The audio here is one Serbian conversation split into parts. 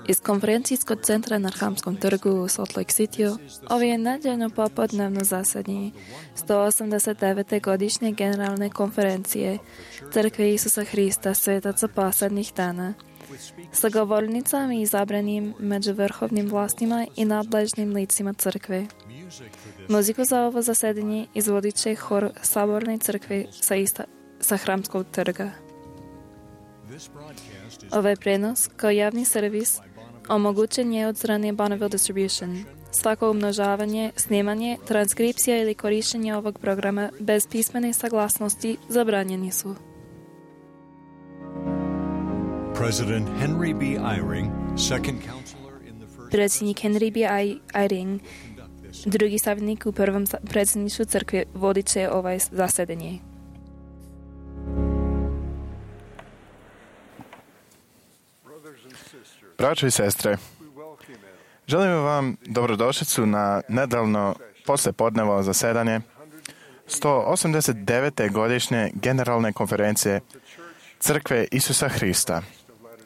Iz konferencijskog centra na Hramskom trgu u Salt Lake City ovo je nedeljno popodnevno zasedanje 189. godišnje generalne konferencije Crkve Isusa Hrista svetaca posljednjih dana sa govornicama izabranim među vrhovnim vlastima i nadležnim licima crkve. Muziku za ovo zasedanje izvodit će hor Saborne crkve sa Hramskog trga. Ovaj prenos, kao javni servis, omogućen je od strane Bonneville Distribution. Svako umnožavanje, snimanje, transkripcija ili korištenje ovog programa bez pismene saglasnosti zabranjeni su. Predsjednik Henry B. Eyring, drugi savjetnik u prvom predsjedništvu crkve, vodit će ovaj zasedanje. Braćo i sestre, želim vam dobrodošlicu na nedeljno poslijepodnevo zasedanje 189. godišnje generalne konferencije Crkve Isusa Hrista,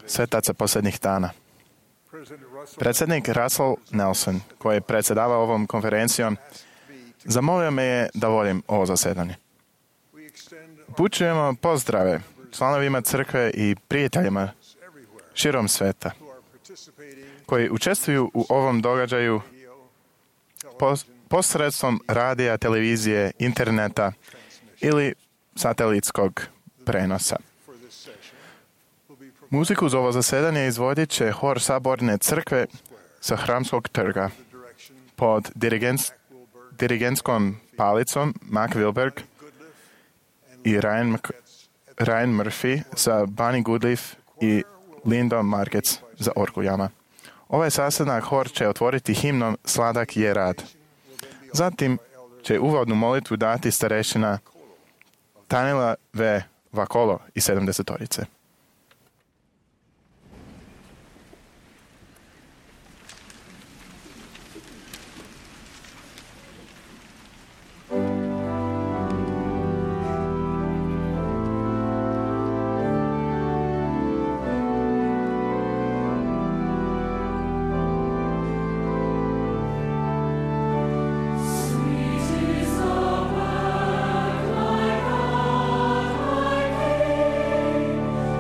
svetaca posljednjih dana. Predsjednik Russell Nelson, koji je predsjedavao ovom konferencijom, zamolio me je da vodim ovo zasedanje. Upućujemo pozdrave članovima crkve i prijateljima širom sveta koji učestvuju u ovom događaju posredstvom radija, televizije, interneta ili satelitskog prenosa. Muziku za ovo zasedanje izvodit će hor Saborne crkve sa Hramskog trga pod dirigentskom palicom Mac Wilberg i Ryan Murphy sa Bunny Goodleaf i Lindom Markets za orguljama. Ovaj sastanak hor će otvoriti himnom Sladak je rad. Zatim će uvodnu molitvu dati starešina Tanila V. Vakolo i 70-torice. Sweet is the word, my God, my King.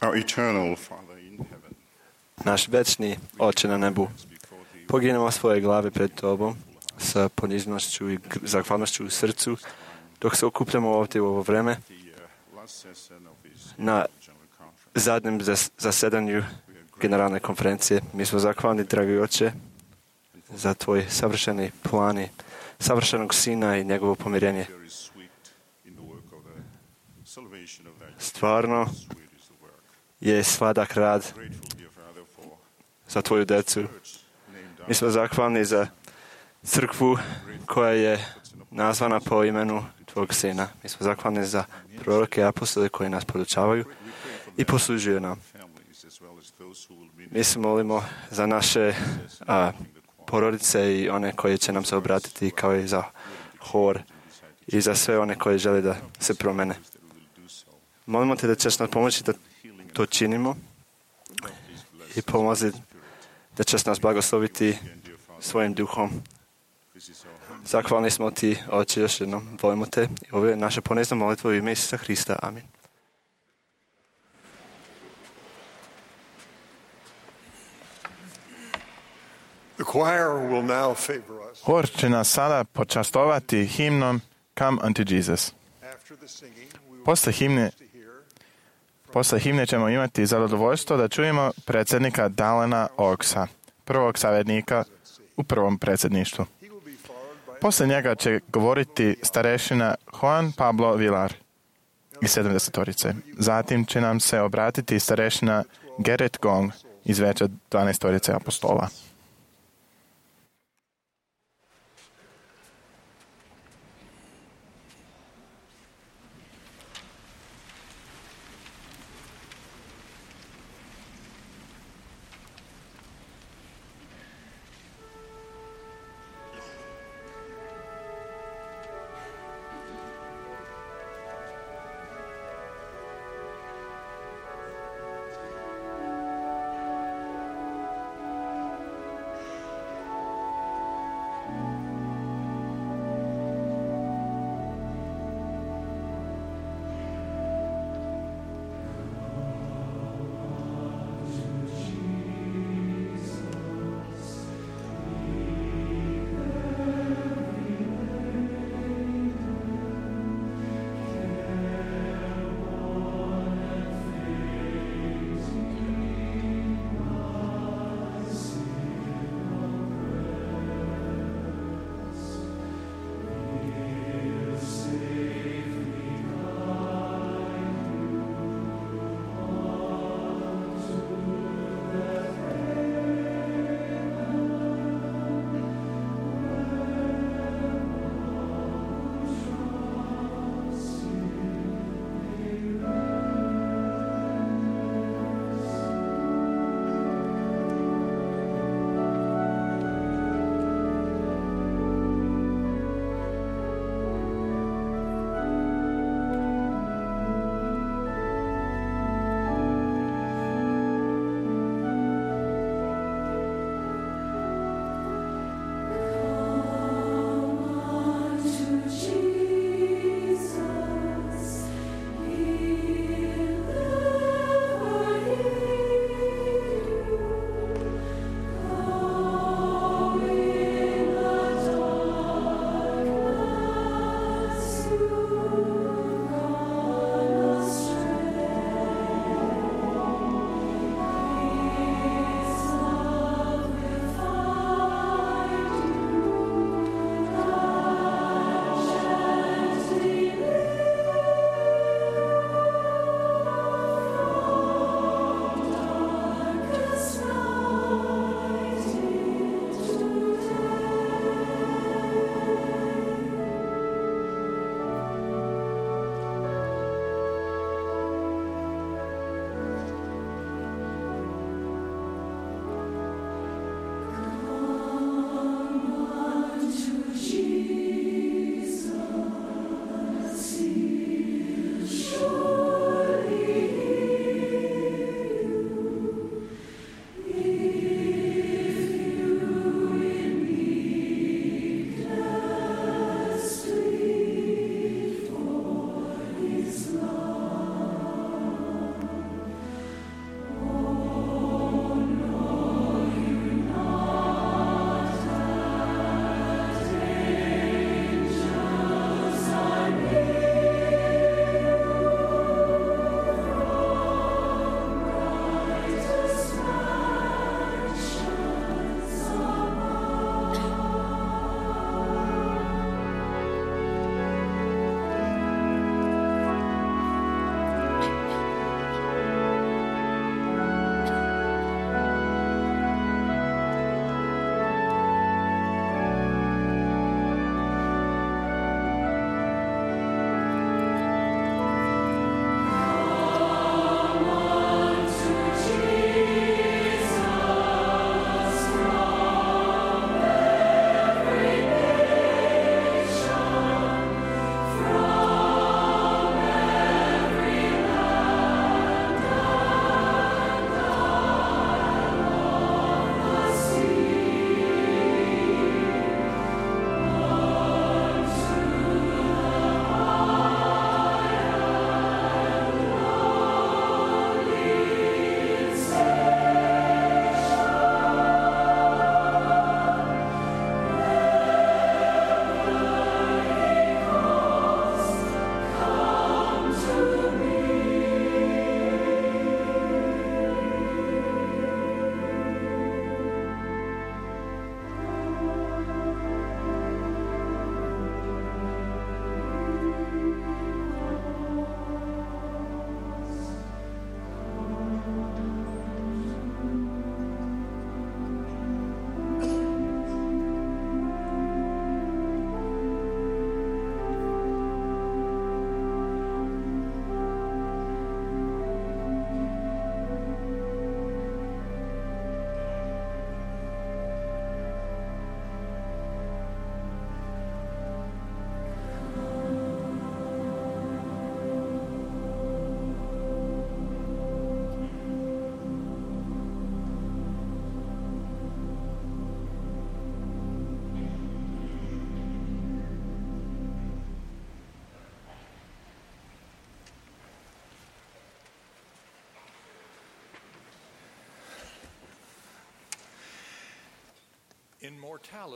Our eternal Father in heaven, Naš večni Oče na nebu, poginemo svoje glave pred Tobom sa poniznošću i zahvalnošću u srcu, dok se okupljamo ovdje u ovo vreme na zadnjem zasedanju generalne konferencije. Mi smo zahvalni, dragi Oče, za Tvoj savršeni plan i savršenog Sina i njegovo pomirenje. Stvarno je sladak rad za Tvoju decu. Mi smo zahvalni za crkvu koja je nazvana po imenu Tvog Sina. Mi smo zahvalni za proroke i apostole koji nas podučavaju i poslužuju nam. Mi se molimo za naše porodice i one koje će nam se obratiti, kao i za hor i za sve one koji žele da se promene. Molimo Te da ćeš nas pomoći da to činimo i pomozi da ćeš nas blagosloviti svojim duhom. Zahvalni smo Ti, Oče, još jednom. Volimo Te i ovo je naša ponizna molitva u ime Isusa Hrista. Amin. Hor će nas sada počastovati himnom Come unto Jesus. Posle himne ćemo imati zadovoljstvo da čujemo predsjednika Dalena Oaksa, prvog savjetnika u prvom predsjedništvu. Posle njega će govoriti starešina Juan Pablo Villar iz 70-torice. Zatim će nam se obratiti starešina Gerrit Gong iz veća 12-torice apostola.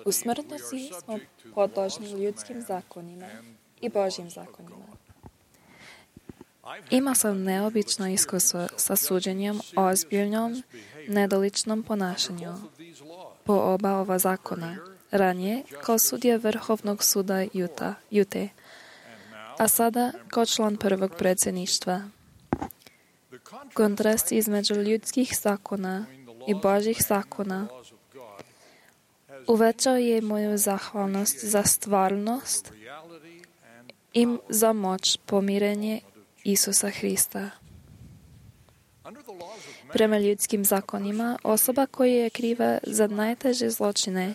U smrtnosti smo podložni ljudskim zakonima i Božjim zakonima. Imao sam neobično iskustvo sa suđenjem o ozbiljnom, nedoličnom ponašanju po oba ova zakona. Ranije kao sudija Vrhovnog suda Jute, a sada kao član prvog predsjedništva. Kontrast između ljudskih zakona i Božjih zakona uvećao je moju zahvalnost za stvarnost i za moć pomirenje Isusa Hrista. Prema ljudskim zakonima, osoba koja je kriva za najteže zločine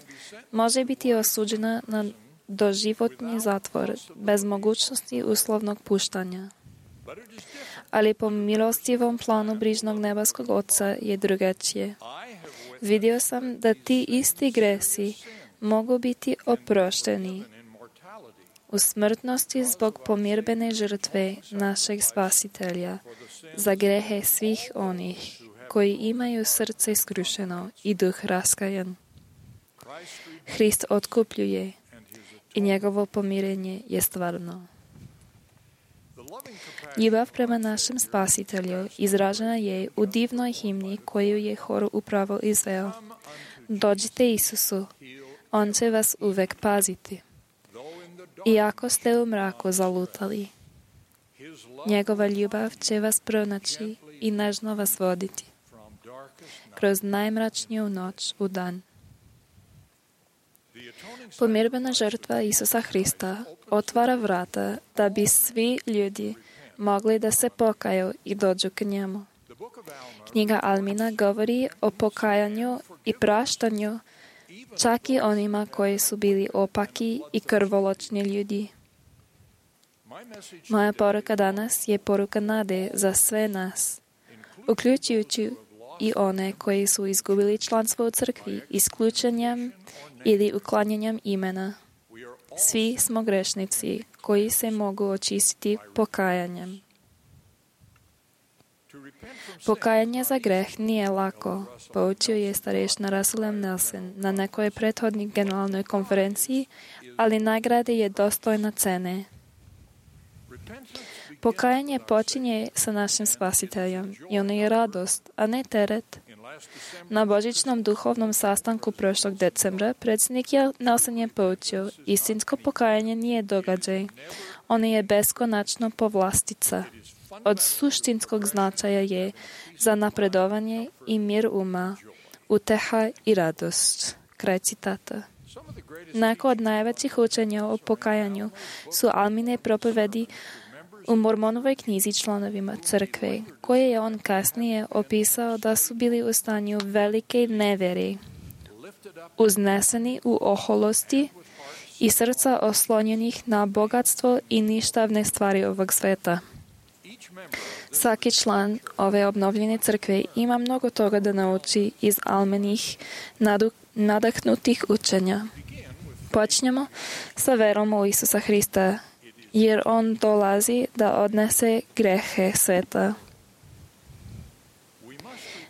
može biti osuđena na doživotni zatvor bez mogućnosti uslovnog puštanja. Ali po milostivom planu brižnog nebeskog Oca je drugačije. Vidio sam da ti isti gresi mogu biti oprošteni u smrtnosti zbog pomirbene žrtve našeg Spasitelja za grehe svih onih koji imaju srce skrušeno i duh raskajan. Hrist otkupljuje i njegovo pomirenje je stvarno. Ljubav prema našem Spasitelju izražena je u divnoj himni koju je hor upravo izveo. Dođite Isusu, On će vas uvek paziti. Iako ste u mraku zalutali, njegova ljubav će vas pronaći i nežno vas voditi kroz najmračniju noć u dan. Pomirbena žrtva Isusa Hrista otvara vrata da bi svi ljudi mogli da se pokaju i dođu k njemu. Knjiga Almina govori o pokajanju i praštanju čak i onima koji su bili opaki i krvoločni ljudi. Moja poruka danas je poruka nade za sve nas, uključujući i one koji su izgubili članstvo u crkvi isključenjem ili uklanjanjem imena. Svi smo grešnici koji se mogu očistiti pokajanjem. Pokajanje za greh nije lako, poučio je starešina Russell M. Nelson na nekoj prethodnoj generalnoj konferenciji, ali nagrada je dostojna cene. Pokajanje počinje sa našim Spasiteljem i ono je radost, a ne teret. Na božićnom duhovnom sastanku prošlog decembra predsjednik Nelson je poučio, istinsko pokajanje nije događaj, ono je beskonačno povlastica. Od suštinskog značaja je za napredovanje i mir uma, uteha i radost. Kraj citata. Neko od najvećih učenja o pokajanju su Almine propovedi u Mormonovoj knjizi članovima crkve, koje je on kasnije opisao da su bili u stanju velike nevjere, uzneseni u oholosti i srca oslonjenih na bogatstvo i ništavne stvari ovog sveta. Svaki član ove obnovljene crkve ima mnogo toga da nauči iz Almenih nadahnutih učenja. Počnemo sa verom u Isusa Hrista, jer On dolazi da odnese grehe sveta.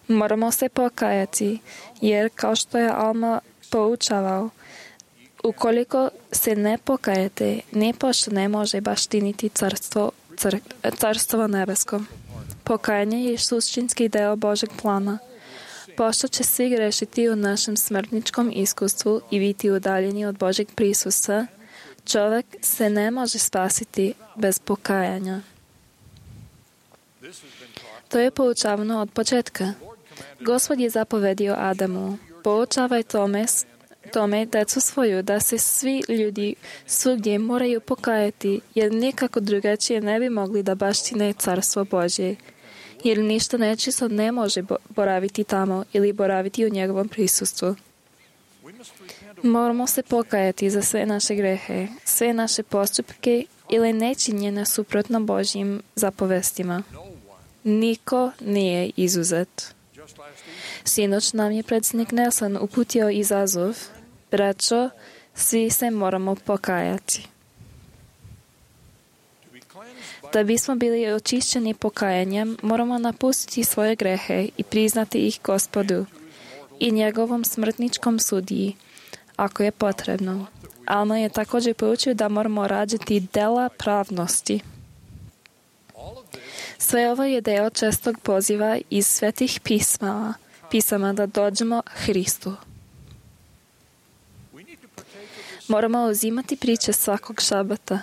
Moramo se pokajati, jer kao što je Alma poučavao, ukoliko se ne pokajete, nipošto ne može baštiniti carstvo nebesko. Pokajanje je suštinski deo Božeg plana. Pošto će svi grešiti u našem smrtničkom iskustvu i biti udaljeni od Božeg prisustva, čovjek se ne može spasiti bez pokajanja. To je poučavano od početka. Gospod je zapovedio Adamu, poučavaj tome decu svoju, da se svi ljudi svugdje moraju pokajati, jer nikako drugačije ne bi mogli da baštine carstvo Božje, jer ništa nečisto ne može boraviti tamo ili boraviti u njegovom prisustvu. Moramo se pokajati za sve naše grehe, sve naše postupke ili nečinjenja suprotno Božjim zapovestima. Niko nije izuzet. Sinoć nam je predsjednik Nelson uputio izazov, braćo, svi se moramo pokajati. Da bismo bili očišćeni pokajanjem, moramo napustiti svoje grehe i priznati ih Gospodu i njegovom smrtničkom sudiji, ako je potrebno. Alma je također poučio da moramo rađati dela pravnosti. Sve ovo je deo čestog poziva iz svetih pisama da dođemo Hristu. Moramo uzimati priče svakog šabata.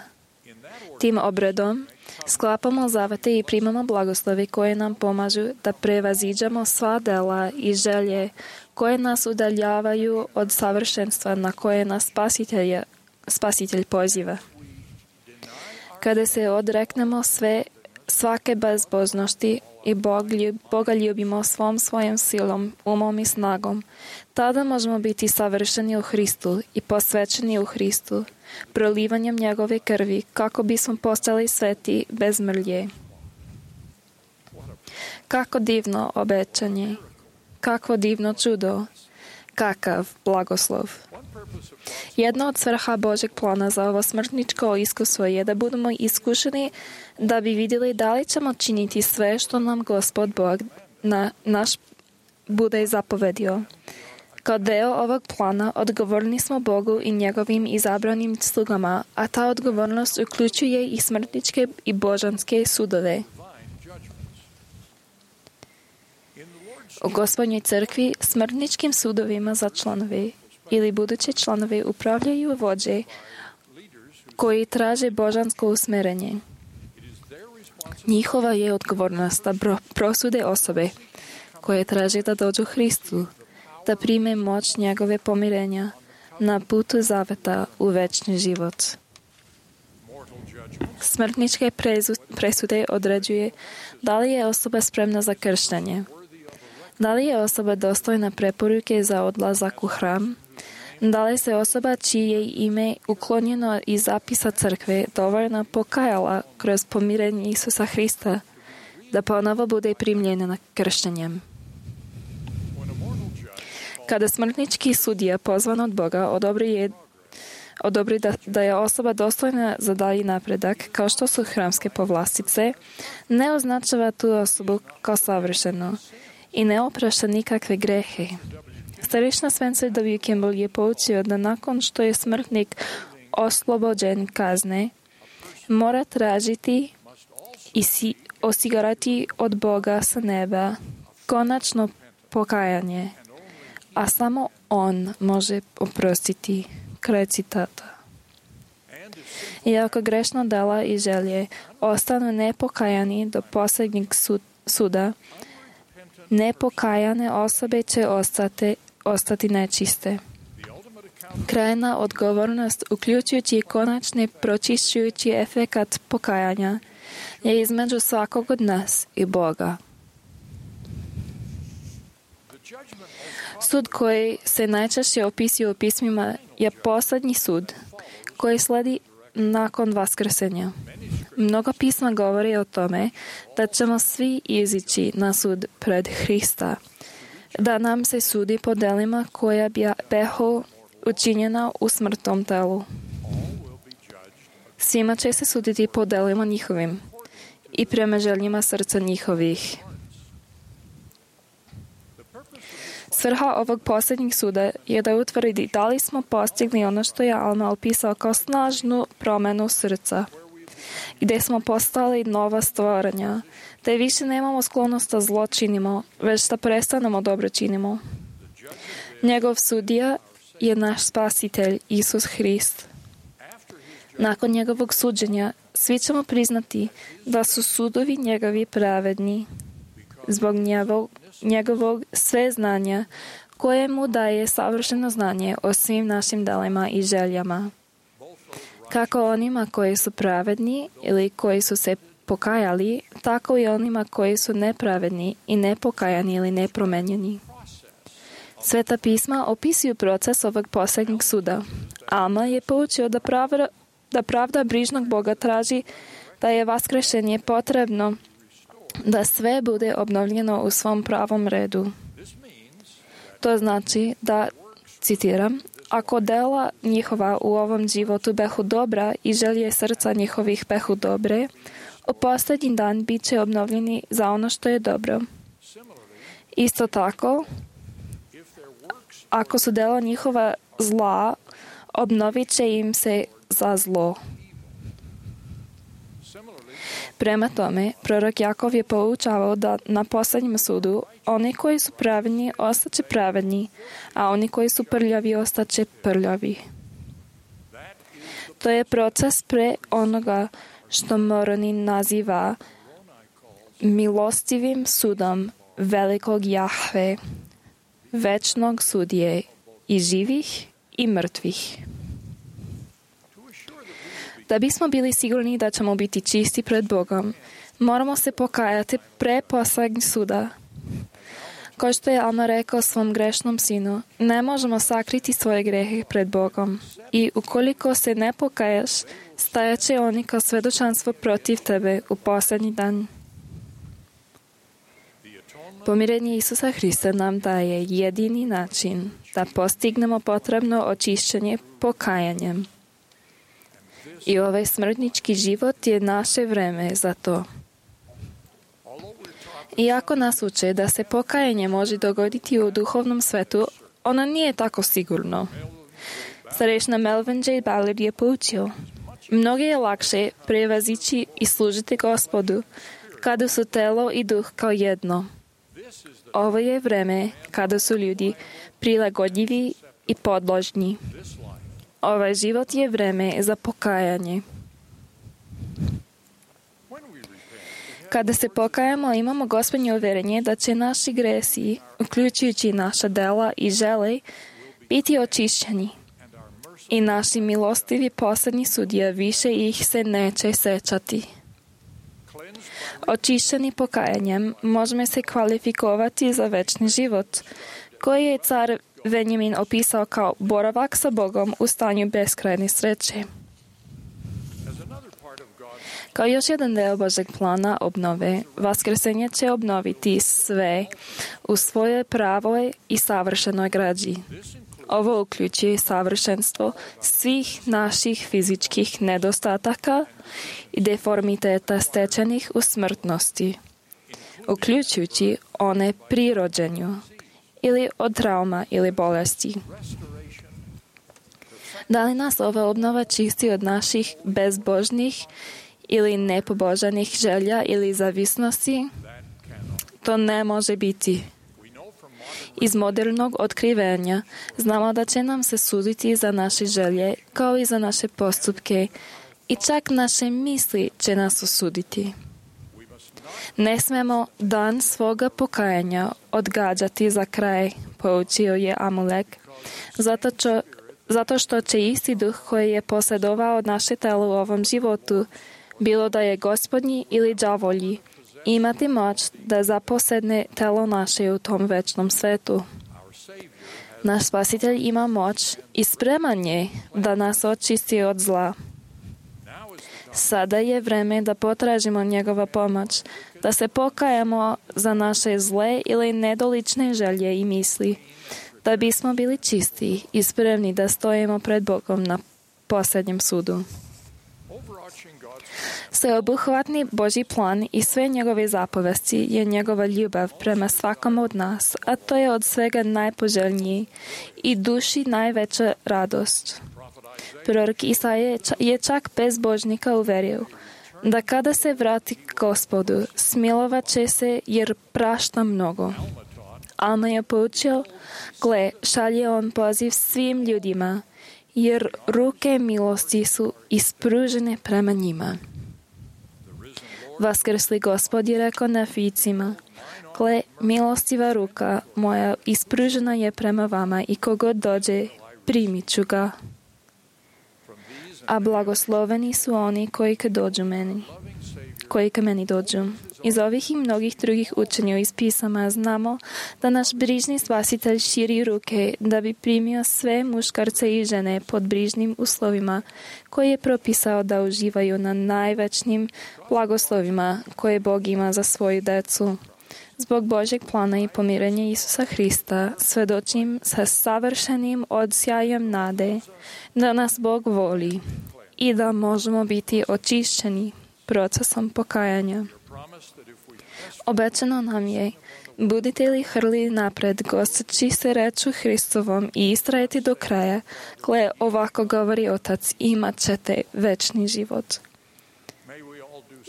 Tim obredom sklapamo zavete i primamo blagoslovi koje nam pomažu da prevaziđemo sva dela i želje koje nas udaljavaju od savršenstva na koje nas Spasitelj poziva. Kada se odreknemo svake bezbožnosti i Boga ljubimo svojom silom, umom i snagom, tada možemo biti savršeni u Hristu i posvećeni u Hristu, prolivanjem njegove krvi, kako bismo postali sveti bez mrlje. Kako divno obećanje, kakvo divno čudo, kakav blagoslov. Jedna od svrha Božeg plana za ovo smrtničko iskustvo je da budemo iskušeni da bi vidjeli da li ćemo činiti sve što nam Gospod Bog naš bude zapovedio. Kao deo ovog plana odgovorni smo Bogu i njegovim izabranim slugama, a ta odgovornost uključuje i smrtničke i božanske sudove. U Gospodnjoj crkvi smrtničkim sudovima za članove ili buduće članove upravljaju vođe koji traže božansko usmerenje. Njihova je odgovornost da prosude osobe koje traže da dođu Hristu, da prime moć njegove pomirenja na putu zaveta u večni život. Smrtničke presude određuje da li je osoba spremna za krštenje, da li je osoba dostojna preporuke za odlazak u hram, da li se osoba čije ime uklonjeno iz zapisa crkve dovoljno pokajala kroz pomirenje Isusa Hrista da ponovo bude primljena krštenjem. Kada smrtnički sudija pozvan od Boga odobri da je osoba dostojna za dalji napredak, kao što su hramske povlastice, ne označava tu osobu kao savršenu i ne oprašta nikakve grehe. Starešna Spencer W. Kimball je poučio da nakon što je smrtnik oslobođen kazne, mora tražiti i osigurati od Boga sa neba konačno pokajanje, a samo On može oprostiti. Kraj citata. Iako grešna dela i želje ostanu nepokajani do posljednjeg suda, nepokajane osobe će ostati nečiste. Krajna odgovornost, uključujući konačni pročišćujući efekat pokajanja, je između svakog od nas i Boga. Sud koji se najčešće opisuje u pismima je posljednji sud koji sledi nakon vaskrsenja. Mnogo pisma govori o tome da ćemo svi izići na sud pred Hrista, da nam se sudi po delima koja behu učinjena u smrtnom telu. Svima će se suditi po delima njihovim i prema željima srca njihovih. Svrha ovog posljednjeg suda je da utvrdi da li smo postigli ono što je Alma opisao kao snažnu promjenu srca, gdje smo postali nova stvorenja, te više nemamo sklonost da zlo činimo, već da prestanemo dobro činimo. Njegov sudija je naš Spasitelj, Isus Hrist. Nakon njegovog suđenja, svi ćemo priznati da su sudovi njegovi pravedni, zbog njegovog sve znanja koje mu daje savršeno znanje o svim našim delima i željama. Kako onima koji su pravedni ili koji su se pokajali, tako i onima koji su nepravedni i nepokajani ili nepromenjeni. Sveta pisma opisuju proces ovog posljednjeg suda. Alma je poučio da pravda brižnog Boga traži da je vaskršenje potrebno da sve bude obnovljeno u svom pravom redu. To znači da, citiram, ako dela njihova u ovom životu behu dobra i želje srca njihovih behu dobre, u posljednji dan bit će obnovljeni za ono što je dobro. Isto tako, ako su delo njihova zla, obnovit će im se za zlo. Prema tome, prorok Jakov je poučavao da na posljednjem sudu oni koji su pravedni ostaće pravedni, a oni koji su prljavi ostaće prljavi. To je proces pre onoga što Moroni naziva milostivim sudom velikog Jahve, večnog sudije i živih i mrtvih. Da bismo bili sigurni da ćemo biti čisti pred Bogom, moramo se pokajati pre posljednjeg suda. Kao što je Alma rekao svom grešnom sinu, ne možemo sakriti svoje grehe pred Bogom. I ukoliko se ne pokajaš, stajaće oni kao svedočanstvo protiv tebe u posljednji dan. Pomirenje Isusa Hrista nam daje jedini način da postignemo potrebno očišćenje pokajanjem. I ovaj smrtnički život je naše vreme za to. Iako nas uče da se pokajanje može dogoditi u duhovnom svetu, ono nije tako sigurno. Starešna Melvin J. Ballard je poučio: mnogo je lakše prevazići i služiti Gospodu kada su telo i duh kao jedno. Ovo je vreme kada su ljudi prilagodljivi i podložni. Ovaj život je vreme za pokajanje. Kada se pokajamo, imamo Gospodnje uvjerenje da će naši gresi, uključujući naša dela i žele, biti očišćeni. I naši milostivi posljednji sudija više ih se neće sećati. Očišćeni pokajanjem možemo se kvalifikovati za večni život, koji je car Benjamin opisao kao boravak sa Bogom u stanju beskrajne sreće. Kao još jedan deo Božeg plana obnove, vaskrsenje će obnoviti sve u svojoj pravoj i savršenoj građi. Ovo uključuje savršenstvo svih naših fizičkih nedostataka i deformiteta stečenih u smrtnosti, uključujući one pri rođenju ili od trauma ili bolesti. Da li nas ova obnova čisti od naših bezbožnih ili nepobožanih želja ili zavisnosti? To ne može biti. Iz modernog otkrivenja znamo da će nam se suditi za naše želje kao i za naše postupke i čak naše misli će nas osuditi. Ne smemo dan svoga pokajanja odgađati za kraj, poučio je Amulek, zato što će isti duh koji je posjedovao naše telo u ovom životu, bilo da je Gospodnji ili đavolji, imati moć da zaposedne telo naše u tom večnom svetu. Naš Spasitelj ima moć i spreman je da nas očisti od zla. Sada je vreme da potražimo njegova pomoć, da se pokajamo za naše zle ili nedolične želje i misli, da bismo bili čisti i spremni da stojimo pred Bogom na posljednjem sudu. Sveobuhvatni Božji plan i sve njegove zapovesti je njegova ljubav prema svakom od nas, a to je od svega najpoželjniji i duši najveća radost. Prorok Isaija je čak bezbožnika uverio da kada se vrati k Gospodu, smilovat će se jer prašta mnogo. Alma je poučio: gle, šalje on poziv svim ljudima, jer ruke milosti su ispružene prema njima. Vaskrsli Gospod je rekao Nefijcima: gle, milostiva ruka moja ispružena je prema vama i kogod dođe, primit ću ga. A blagosloveni su oni koji ka meni dođu. Iz ovih i mnogih drugih učenja iz pisama znamo da naš brižni Spasitelj širi ruke da bi primio sve muškarce i žene pod brižnim uslovima koje je propisao da uživaju na najvećnim blagoslovima koje Bog ima za svoju decu. Zbog Božjeg plana i pomirenja Isusa Hrista svedočim sa savršenim odsjajem nade da nas Bog voli i da možemo biti očišćeni procesom pokajanja. Obećano nam je, budite li hrli napred, gosteći se reču Hristovom i istrajati do kraja, gle, ovako govori Otac, imat ćete večni život.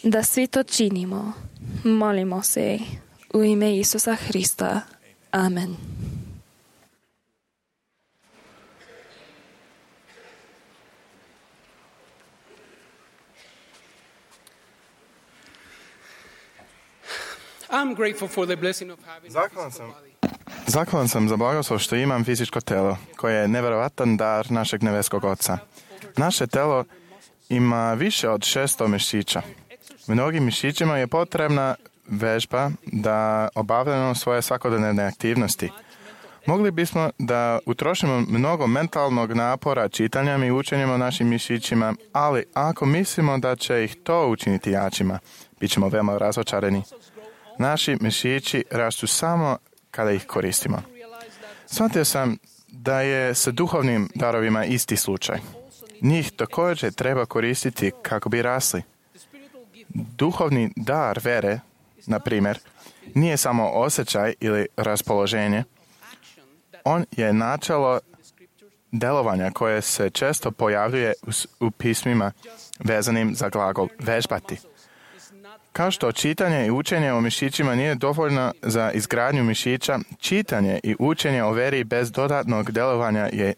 Da svi to činimo, molimo se u ime Isusa Hrista. Amen. I'm grateful for the blessing of having Zahvalan sam za blagoslov što imam fizičko telo, koje je nevjerovatan dar našeg nebeskog Oca. Naše telo ima više od 600 mišića. Mnogim mišićima je potrebna vežba da obavljamo svoje svakodnevne aktivnosti. Mogli bismo da utrošimo mnogo mentalnog napora čitanjem i učenjem o našim mišićima, ali ako mislimo da će ih to učiniti jačima, bit ćemo veoma razočarani. Naši mišići rastu samo kada ih koristimo. Shvatio sam da je sa duhovnim darovima isti slučaj. Njih također treba koristiti kako bi rasli. Duhovni dar vere, na primjer, nije samo osjećaj ili raspoloženje. On je načelo delovanja koje se često pojavljuje u pismima vezanim za glagol vežbati. Kao što čitanje i učenje o mišićima nije dovoljno za izgradnju mišića, čitanje i učenje o veri bez dodatnog delovanja je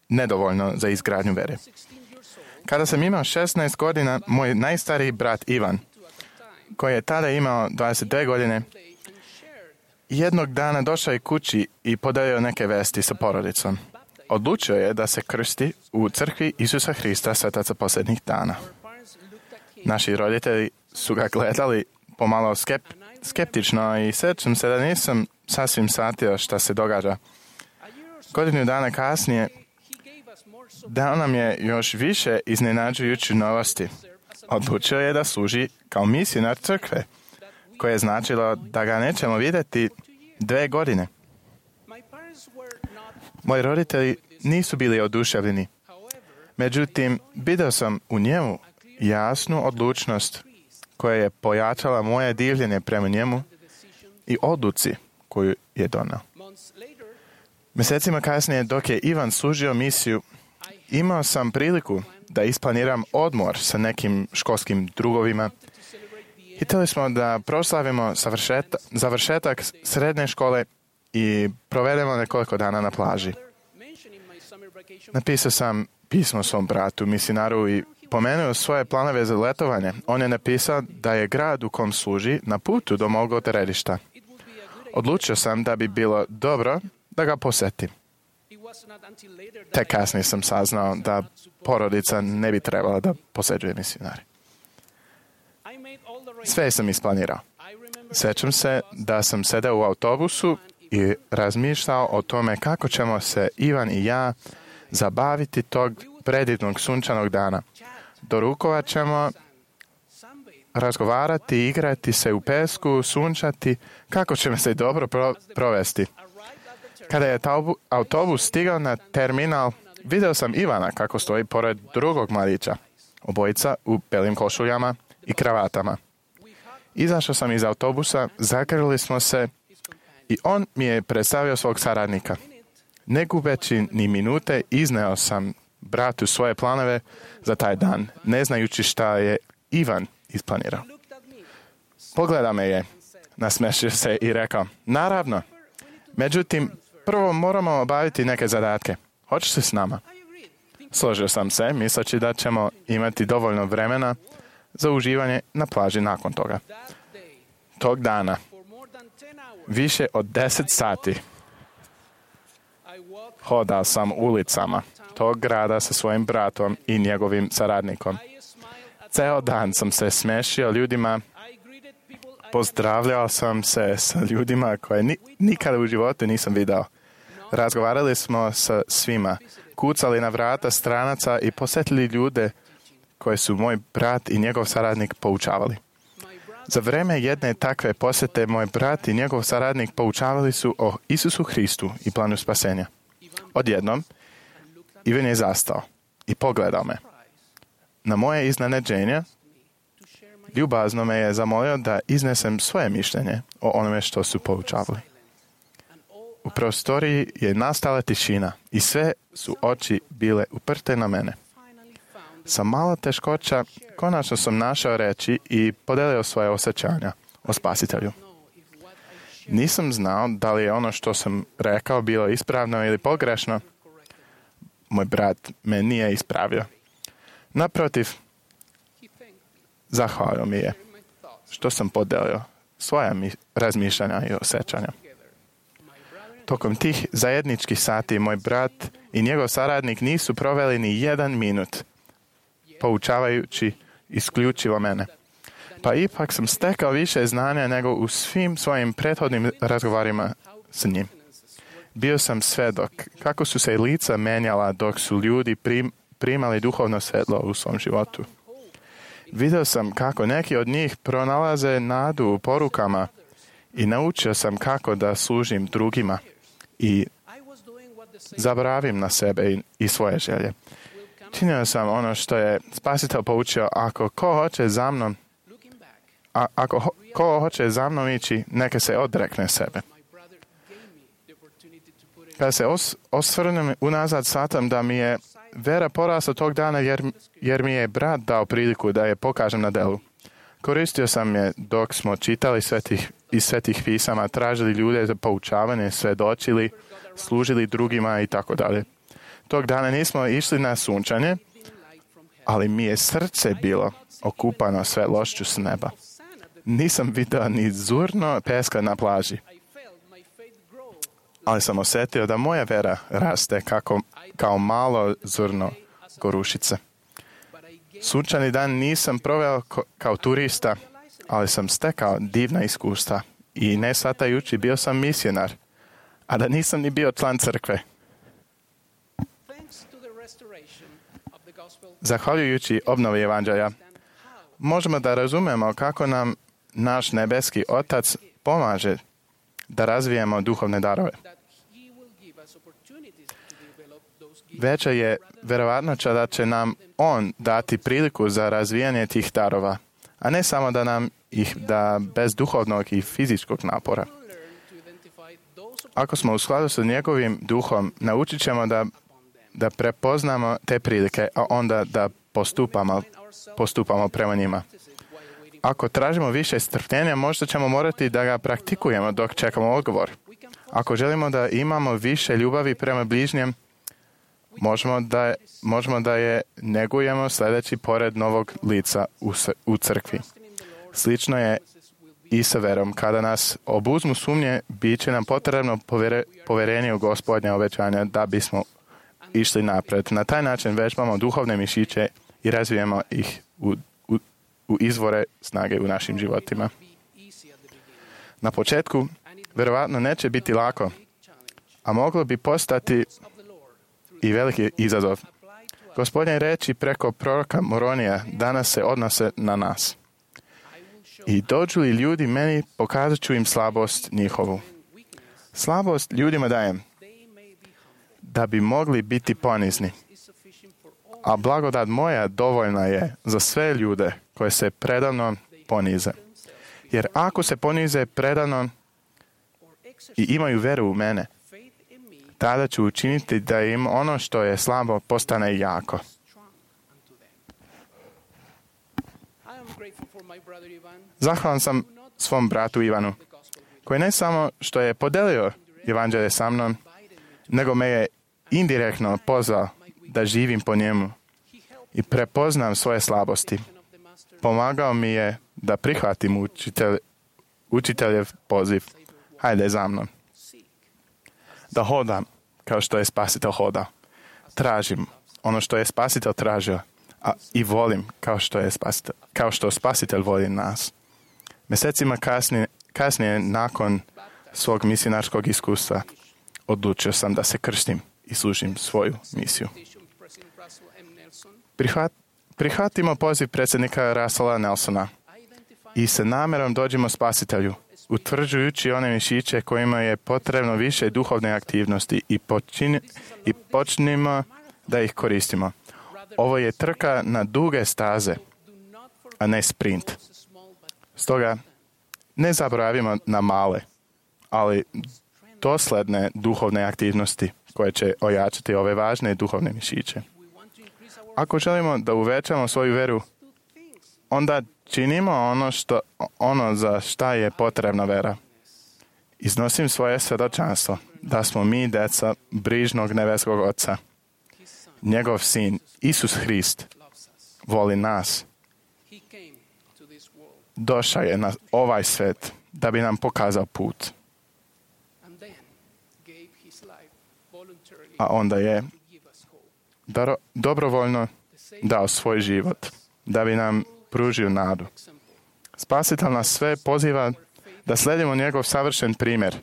nedovoljno za izgradnju vere. Kada sam imao 16 godina, moj najstariji brat Ivan, koji je tada imao 22 godine, jednog dana došao je kući i podelio neke vesti sa porodicom. Odlučio je da se krsti u crkvi Isusa Hrista svetaca posljednjih dana. Naši roditelji su ga gledali pomalo skeptično i sjećam se da nisam sasvim shvatio šta se događa. Godinu dana kasnije dao nam je još više iznenađujuće novosti. Odlučio je da služi kao misionar crkve, koje je značilo da ga nećemo vidjeti 2 godine. Moji roditelji nisu bili oduševljeni. Međutim, vidio sam u njemu jasnu odlučnost koja je pojačala moje divljenje prema njemu i odluci koju je donao. Mjesecima kasnije, dok je Ivan služio misiju, imao sam priliku da isplaniram odmor sa nekim školskim drugovima. Htjeli smo da proslavimo završetak srednje škole i provedemo nekoliko dana na plaži. Napisao sam pismo svom bratu, misionaru, i pomenuo svoje planove za letovanje. On je napisao da je grad u kom služi na putu do mog odredišta. Odlučio sam da bi bilo dobro da ga posjetim. Tek kasnije sam saznao da porodica ne bi trebala da posjećuje misionari. Sve sam isplanirao. Sjećam se da sam sedeo u autobusu i razmišljao o tome kako ćemo se Ivan i ja zabaviti tog predivnog sunčanog dana. Dorukovat ćemo, razgovarati, igrati se u pesku, sunčati, kako ćemo se dobro provesti. Kada je autobus stigao na terminal, vidio sam Ivana kako stoji pored drugog mladića, obojica u belim košuljama i kravatama. Izašao sam iz autobusa, zagrlili smo se i on mi je predstavio svog saradnika. Ne gubeći ni minute, izneo sam bratu svoje planove za taj dan, ne znajući šta je Ivan isplanirao. Pogledao me je, nasmešio se i rekao, naravno, međutim, prvo moramo obaviti neke zadatke. Hoćeš li s nama? Složio sam se, misleći da ćemo imati dovoljno vremena za uživanje na plaži nakon toga. Tog dana, više od 10 sati, hodao sam ulicama tog grada sa svojim bratom i njegovim saradnikom. Ceo dan sam se smešio ljudima, pozdravljao sam se sa ljudima koje nikada u životu nisam vidio. Razgovarali smo sa svima, kucali na vrata stranaca i posjetili ljude koje su moj brat i njegov saradnik poučavali. Za vreme jedne takve posjete moj brat i njegov saradnik poučavali su o Isusu Hristu i planu spasenja. Odjednom, Ivan je zastao i pogledao me. Na moje iznenađenje, Ljubazno me je zamolio da iznesem svoje mišljenje o onome što su poučavali. U prostoriji je nastala tišina i sve su oči bile uprte na mene. Sa malo teškoća konačno sam našao reći i podelio svoje osjećanja o Spasitelju. Nisam znao da li je ono što sam rekao bilo ispravno ili pogrešno. Moj brat me nije ispravio. Naprotiv, zahvalio mi je što sam podelio svoja razmišljanja i osjećanja. Tokom tih zajedničkih sati moj brat i njegov saradnik nisu proveli ni 1 minut poučavajući isključivo mene. Pa ipak sam stekao više znanja nego u svim svojim prethodnim razgovorima s njim. Bio sam svedok kako su se lica menjala dok su ljudi primali duhovno svetlo u svom životu. Vidio sam kako neki od njih pronalaze nadu u porukama i naučio sam kako da služim drugima i zaboravim na sebe i svoje želje. Činio sam ono što je Spasitelj poučio, ako ko hoće za mnom ići, neka se odrekne sebe. Kada se osvrnem unazad, shvatam da mi je vera porasla tog dana jer mi je brat dao priliku da je pokažem na delu. Koristio sam je dok smo čitali iz svetih pisama, tražili ljude za poučavanje, svedočili, služili drugima i tako dalje. Tog dana nismo išli na sunčanje, ali mi je srce bilo okupano svetlošću s neba. Nisam vidio ni zurno peska na plaži, ali sam osjetio da moja vera raste kao malo zrno gorušice. Sunčani dan nisam proveo kao turista, ali sam stekao divna iskustva i ne shvatajući bio sam misionar, a da nisam ni bio član crkve. Zahvaljujući obnovi evanđelja, možemo da razumemo kako nam naš nebeski Otac pomaže da razvijemo duhovne darove. Veća je verovatnoća da će nam On dati priliku za razvijanje tih darova, a ne samo da nam ih da bez duhovnog i fizičkog napora. Ako smo u skladu sa njegovim duhom, naučit ćemo da prepoznamo te prilike, a onda da postupamo prema njima. Ako tražimo više strpljenja, možda ćemo morati da ga praktikujemo dok čekamo odgovor. Ako želimo da imamo više ljubavi prema bližnjem, možemo da je negujemo sledeći pored novog lica u crkvi. Slično je i sa verom. Kada nas obuzmu sumnje, bit će nam potrebno poverenje u Gospodnja obećanja da bismo išli napred. Na taj način vežbamo duhovne mišiće i razvijemo ih u izvore snage u našim životima. Na početku, verovatno neće biti lako, a moglo bi postati i veliki izazov. Gospodnje reči preko proroka Moronija danas se odnose na nas. I dođu li ljudi meni, pokazat ću im slabost njihovu. Slabost ljudima dajem, da bi mogli biti ponizni. A blagodat moja dovoljna je za sve ljude koje se predavno ponize. Jer ako se ponize predavno i imaju veru u mene, tada ću učiniti da im ono što je slabo postane jako. Zahvalan sam svom bratu Ivanu, koji ne samo što je podelio evanđelje sa mnom, nego me je indirektno pozvao da živim po njemu i prepoznam svoje slabosti. Pomagao mi je da prihvatim učiteljev poziv. Hajde za mnom. Da hodam kao što je Spasitelj hodao. Tražim ono što je Spasitelj tražio, a i volim kao što Spasitelj voli nas. Mjesecima kasnije nakon svog misionarskog iskustva odlučio sam da se krstim i služim svoju misiju. Prihvatimo poziv predsjednika Russella Nelsona i sa namjerom dođemo Spasitelju, utvrđujući one mišiće kojima je potrebno više duhovne aktivnosti i počnimo da ih koristimo. Ovo je trka na duge staze, a ne sprint. Stoga, ne zaboravimo na male, ali dosledne duhovne aktivnosti koje će ojačati ove važne duhovne mišiće. Ako želimo da uvećamo svoju veru, onda činimo ono za šta je potrebna vera. Iznosim svoje svjedočanstvo da smo mi deca brižnog nebeskog Oca. Njegov sin, Isus Hrist, voli nas. Došao je na ovaj svet da bi nam pokazao put. A onda je dobrovoljno dao svoj život da bi nam pružio nadu. Spasitelj nas sve poziva da sledimo njegov savršen primjer.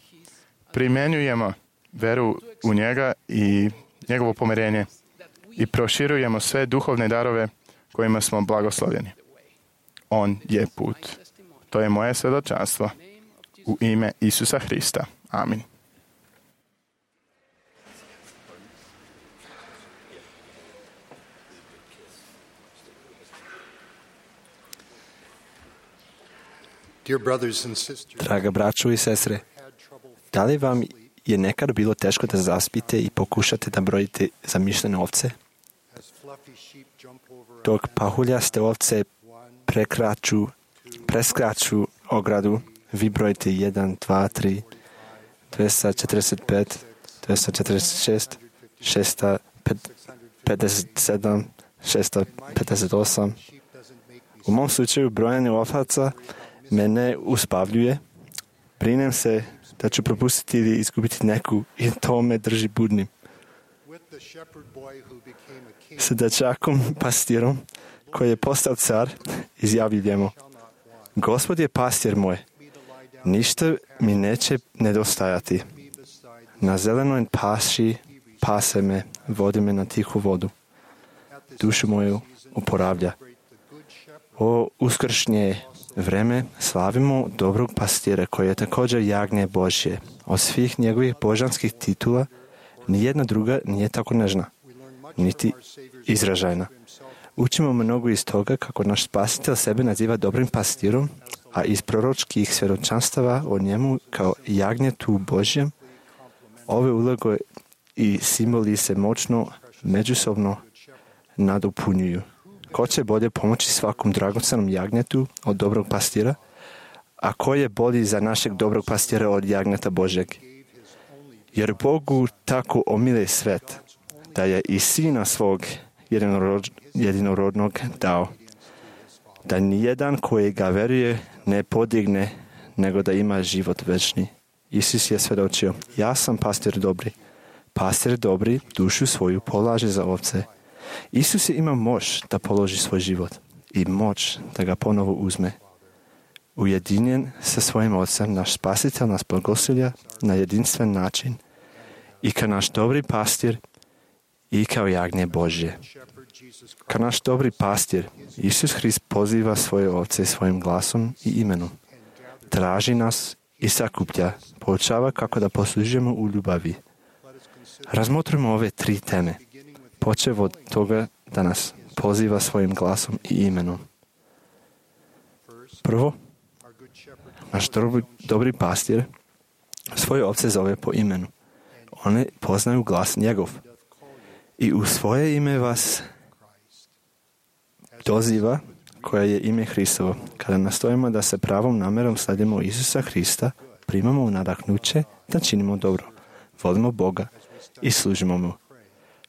Primjenjujemo veru u njega i njegovo pomirenje i proširujemo sve duhovne darove kojima smo blagoslovljeni. On je put. To je moje svjedočanstvo u ime Isusa Hrista. Amin. Draga braćo i sestre, da li vam je nekad bilo teško da zaspite i pokušate da brojite zamišljene ovce? Dok pahuljaste ovce preskaču ogradu, vi brojite 1, 2, 3, 245, 246, 657, 658. U mom slučaju brojanje ovaca mene uspavljuje. Brinem se da ću propustiti ili izgubiti neku i to me drži budnim. S dečakom pastirom koji je postao car, izjavljujemo: Gospod je pastir moj, ništa mi neće nedostajati. Na zelenoj paši pase me, vodi me na tihu vodu. Dušu moju oporavlja. O uskršnje vreme slavimo dobrog pastira koji je također jagnje Božje. Od svih njegovih božanskih titula nijedna druga nije tako nežna, niti izražajna. Učimo mnogo iz toga kako naš spasitelj sebe naziva dobrim pastirom, a iz proročkih svjedočanstava o njemu kao jagnjetu Božjem, ove uloge i simboli se moćno međusobno nadopunjuju. Ko će bolje pomoći svakom dragocenom jagnjetu od dobrog pastira, a ko je bolji za našeg dobrog pastira od jagnjeta Božjeg? Jer Bogu tako omile svet, da je i sina svog jedinorodnog dao, da nijedan koji ga veruje ne podigne, nego da ima život večni. Isus je svjedočio: ja sam pastir dobri. Pastir dobri dušu svoju polaže za ovce. Isus je imao moć da položi svoj život i moć da ga ponovo uzme. Ujedinjen sa svojim Otcem, naš spasitelj nas blagoslovlja na jedinstven način i kao naš dobri pastir i kao jagnje Božje. Kao naš dobri pastir, Isus Hrist poziva svoje ovce svojim glasom i imenom. Traži nas i sakuplja, poučava kako da poslužujemo u ljubavi. Razmotrimo ove 3 teme, počev od toga da nas poziva svojim glasom i imenom. Prvo, naš dobri pastir svoje ovce zove po imenu. One poznaju glas njegov. I u svoje ime vas doziva, koje je ime Hristovo. Kada nastojimo da se pravom namjerom sledimo Isusa Hrista, primamo nadahnuće da činimo dobro, volimo Boga i služimo mu.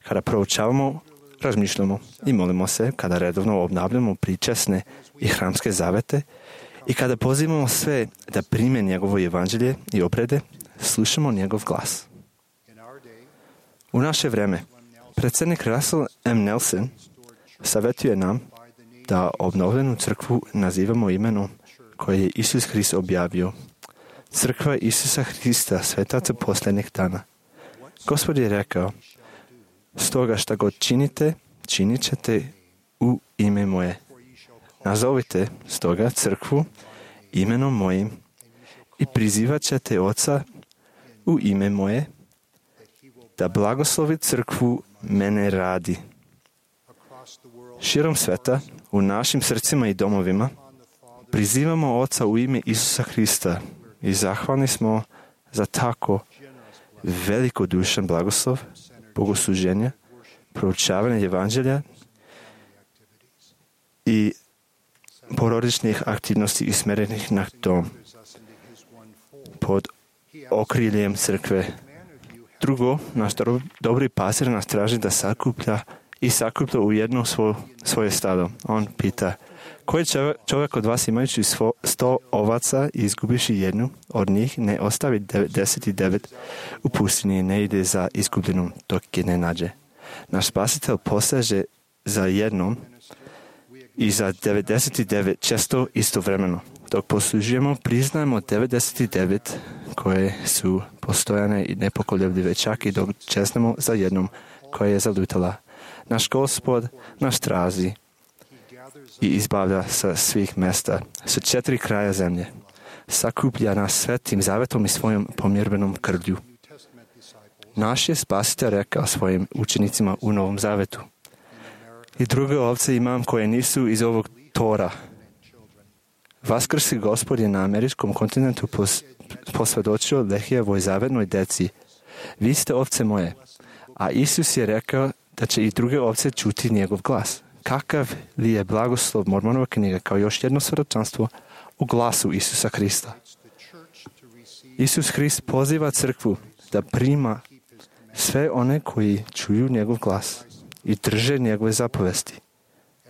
Kada proučavamo, razmišljamo i molimo se, kada redovno obnavljamo pričasne i hramske zavete i kada pozivamo sve da prime njegovo evanđelje i obrede, slušamo njegov glas. U naše vreme, predsjednik Russell M. Nelson savjetuje nam da obnovljenu crkvu nazivamo imenom koje je Isus Hrist objavio. Crkva Isusa Hrista, svetaca posljednjih dana. Gospod je rekao: stoga šta god činite, činit ćete u ime moje. Nazovite stoga crkvu imenom mojim i prizivat ćete Oca u ime moje, da blagoslovi crkvu mene radi. Širom sveta, u našim srcima i domovima, prizivamo Oca u ime Isusa Hrista i zahvalni smo za tako velikodušan blagoslov, bogosluženja, proučavanje evanđelja i porodičnih aktivnosti usmjerenih na to pod okriljem crkve. Drugo, naš dobri pastir nas traži da sakuplja u jedno svoje stado. On pita, koji čovjek od vas imajući 100 ovaca i izgubiši jednu od njih, ne ostavi 99 u pustinji i ne ide za izgubljenom dok je ne nađe. Naš spasitelj poseže za jednom i za 99 često istovremeno. Dok poslužujemo, priznajemo 99 koje su postojane i nepokoljebljive, čak i dok česnemo za jednom koja je zalutala. Naš Gospod nas traži i izbavlja sa svih mjesta, sa 4 kraja zemlje. Sakuplja nas svetim zavetom i svojom pomirbenom krvlju. Naš je spasitelj rekao svojim učenicima u Novom Zavetu. I druge ovce imam koje nisu iz ovog tora. Vaskrsi Gospod je na američkom kontinentu posvjedočio Lehijevoj zavednoj deci. Vi ste ovce moje. A Isus je rekao da će i druge ovce čuti njegov glas. Kakav li je blagoslov Mormonova knjiga kao još jedno svjedočanstvo u glasu Isusa Hrista. Isus Hrist poziva crkvu da prima sve one koji čuju njegov glas i drže njegove zapovesti.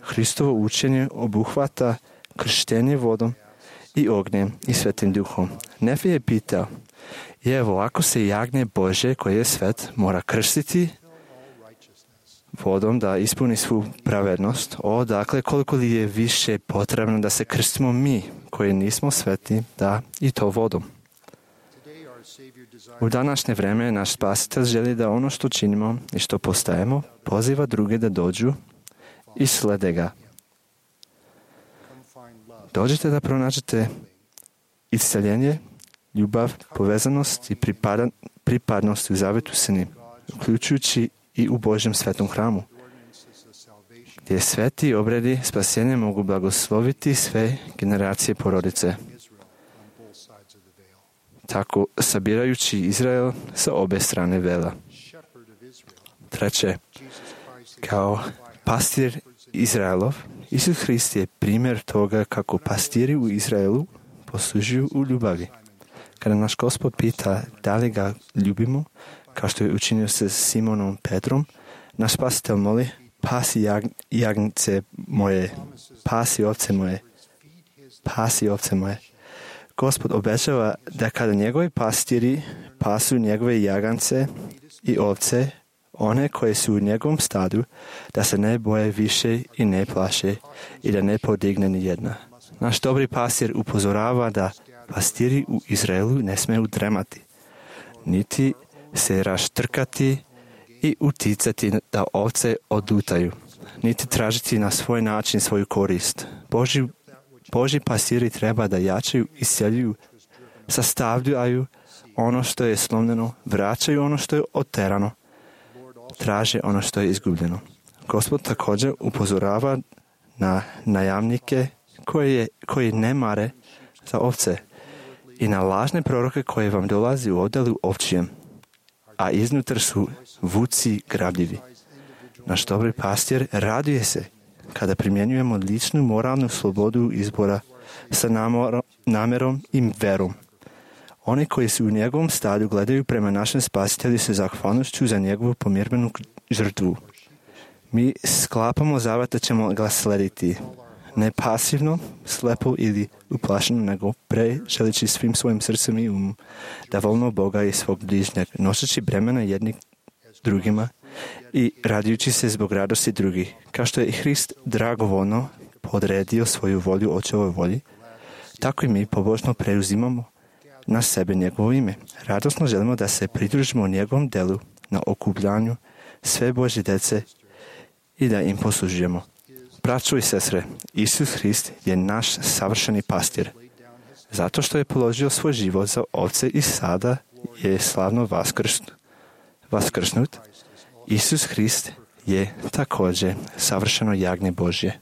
Hristovo učenje obuhvata krštenje vodom i ognjem i svetim duhom. Nefi je pitao, evo, ako se jagnje Bože koje je svet mora krstiti vodom da ispuni svu pravednost, dakle, koliko li je više potrebno da se krstimo mi koji nismo sveti, da i to vodom. U današnje vrijeme naš spasitelj želi da ono što činimo i što postajemo poziva druge da dođu i slede ga. Dođite da pronađete isceljenje, ljubav, povezanost i pripadnost u zavetu s njim, uključujući i u Božjem svetom hramu, gdje sveti obredi spasenja mogu blagosloviti sve generacije porodice. Tako sabirajući Izrael sa obe strane vela. Treće, kao pastir Izraelov, Isus Hrist je primjer toga kako pastiri u Izraelu poslužuju u ljubavi. Kada naš Gospod pita da li ga ljubimo, kao što je učinio sa Simonom Petrom, naš spasitelj moli, pasi jagnjce moje, pasi ovce moje, pasi ovce moje. Gospod obećava da kada njegovi pastiri pasu njegove jagance i ovce, one koje su u njegovom stadu, da se ne boje više i ne plaše i da ne podigne ni jedna. Naš dobri pastir upozorava da pastiri u Izraelu ne smeju dremati, niti se raštrkati i uticati da ovce odlutaju, niti tražiti na svoj način svoju korist. Božji pastiri treba da jačaju, isceljuju, sastavljaju ono što je slomljeno, vraćaju ono što je oterano, traže ono što je izgubljeno. Gospod također upozorava na najamnike koji ne mare za ovce i na lažne proroke koje vam dolazi u odjelu ovčijem, a iznutar su vuci grabljivi. Naš dobri pastir raduje se kada primjenjujemo ličnu moralnu slobodu izbora sa namjerom i verom. Oni koji su u njegovom stadu gledaju prema našem spasitelju sa zahvalnošću za njegovu pomirbenu žrtvu. Mi sklapamo zavet da ćemo ga slediti, ne pasivno, slepo ili uplašeno, nego želeći svim svojim srcem i umom da volimo Boga i svog bližnjeg, noseći bremena jedni drugima i radujući se zbog radosti drugih. Kao što je Hrist dragovoljno podredio svoju volju očevoj volji, tako i mi pobožno preuzimamo na sebe njegovo ime. Radosno želimo da se pridružimo njegovom delu na okupljanju sve Božje djece i da im poslužujemo. Braćo i sestre, Isus Hrist je naš savršeni pastir. Zato što je položio svoj život za ovce i sada je slavno vaskrsnut, Isus Hrist je također savršeno jagnje Božje.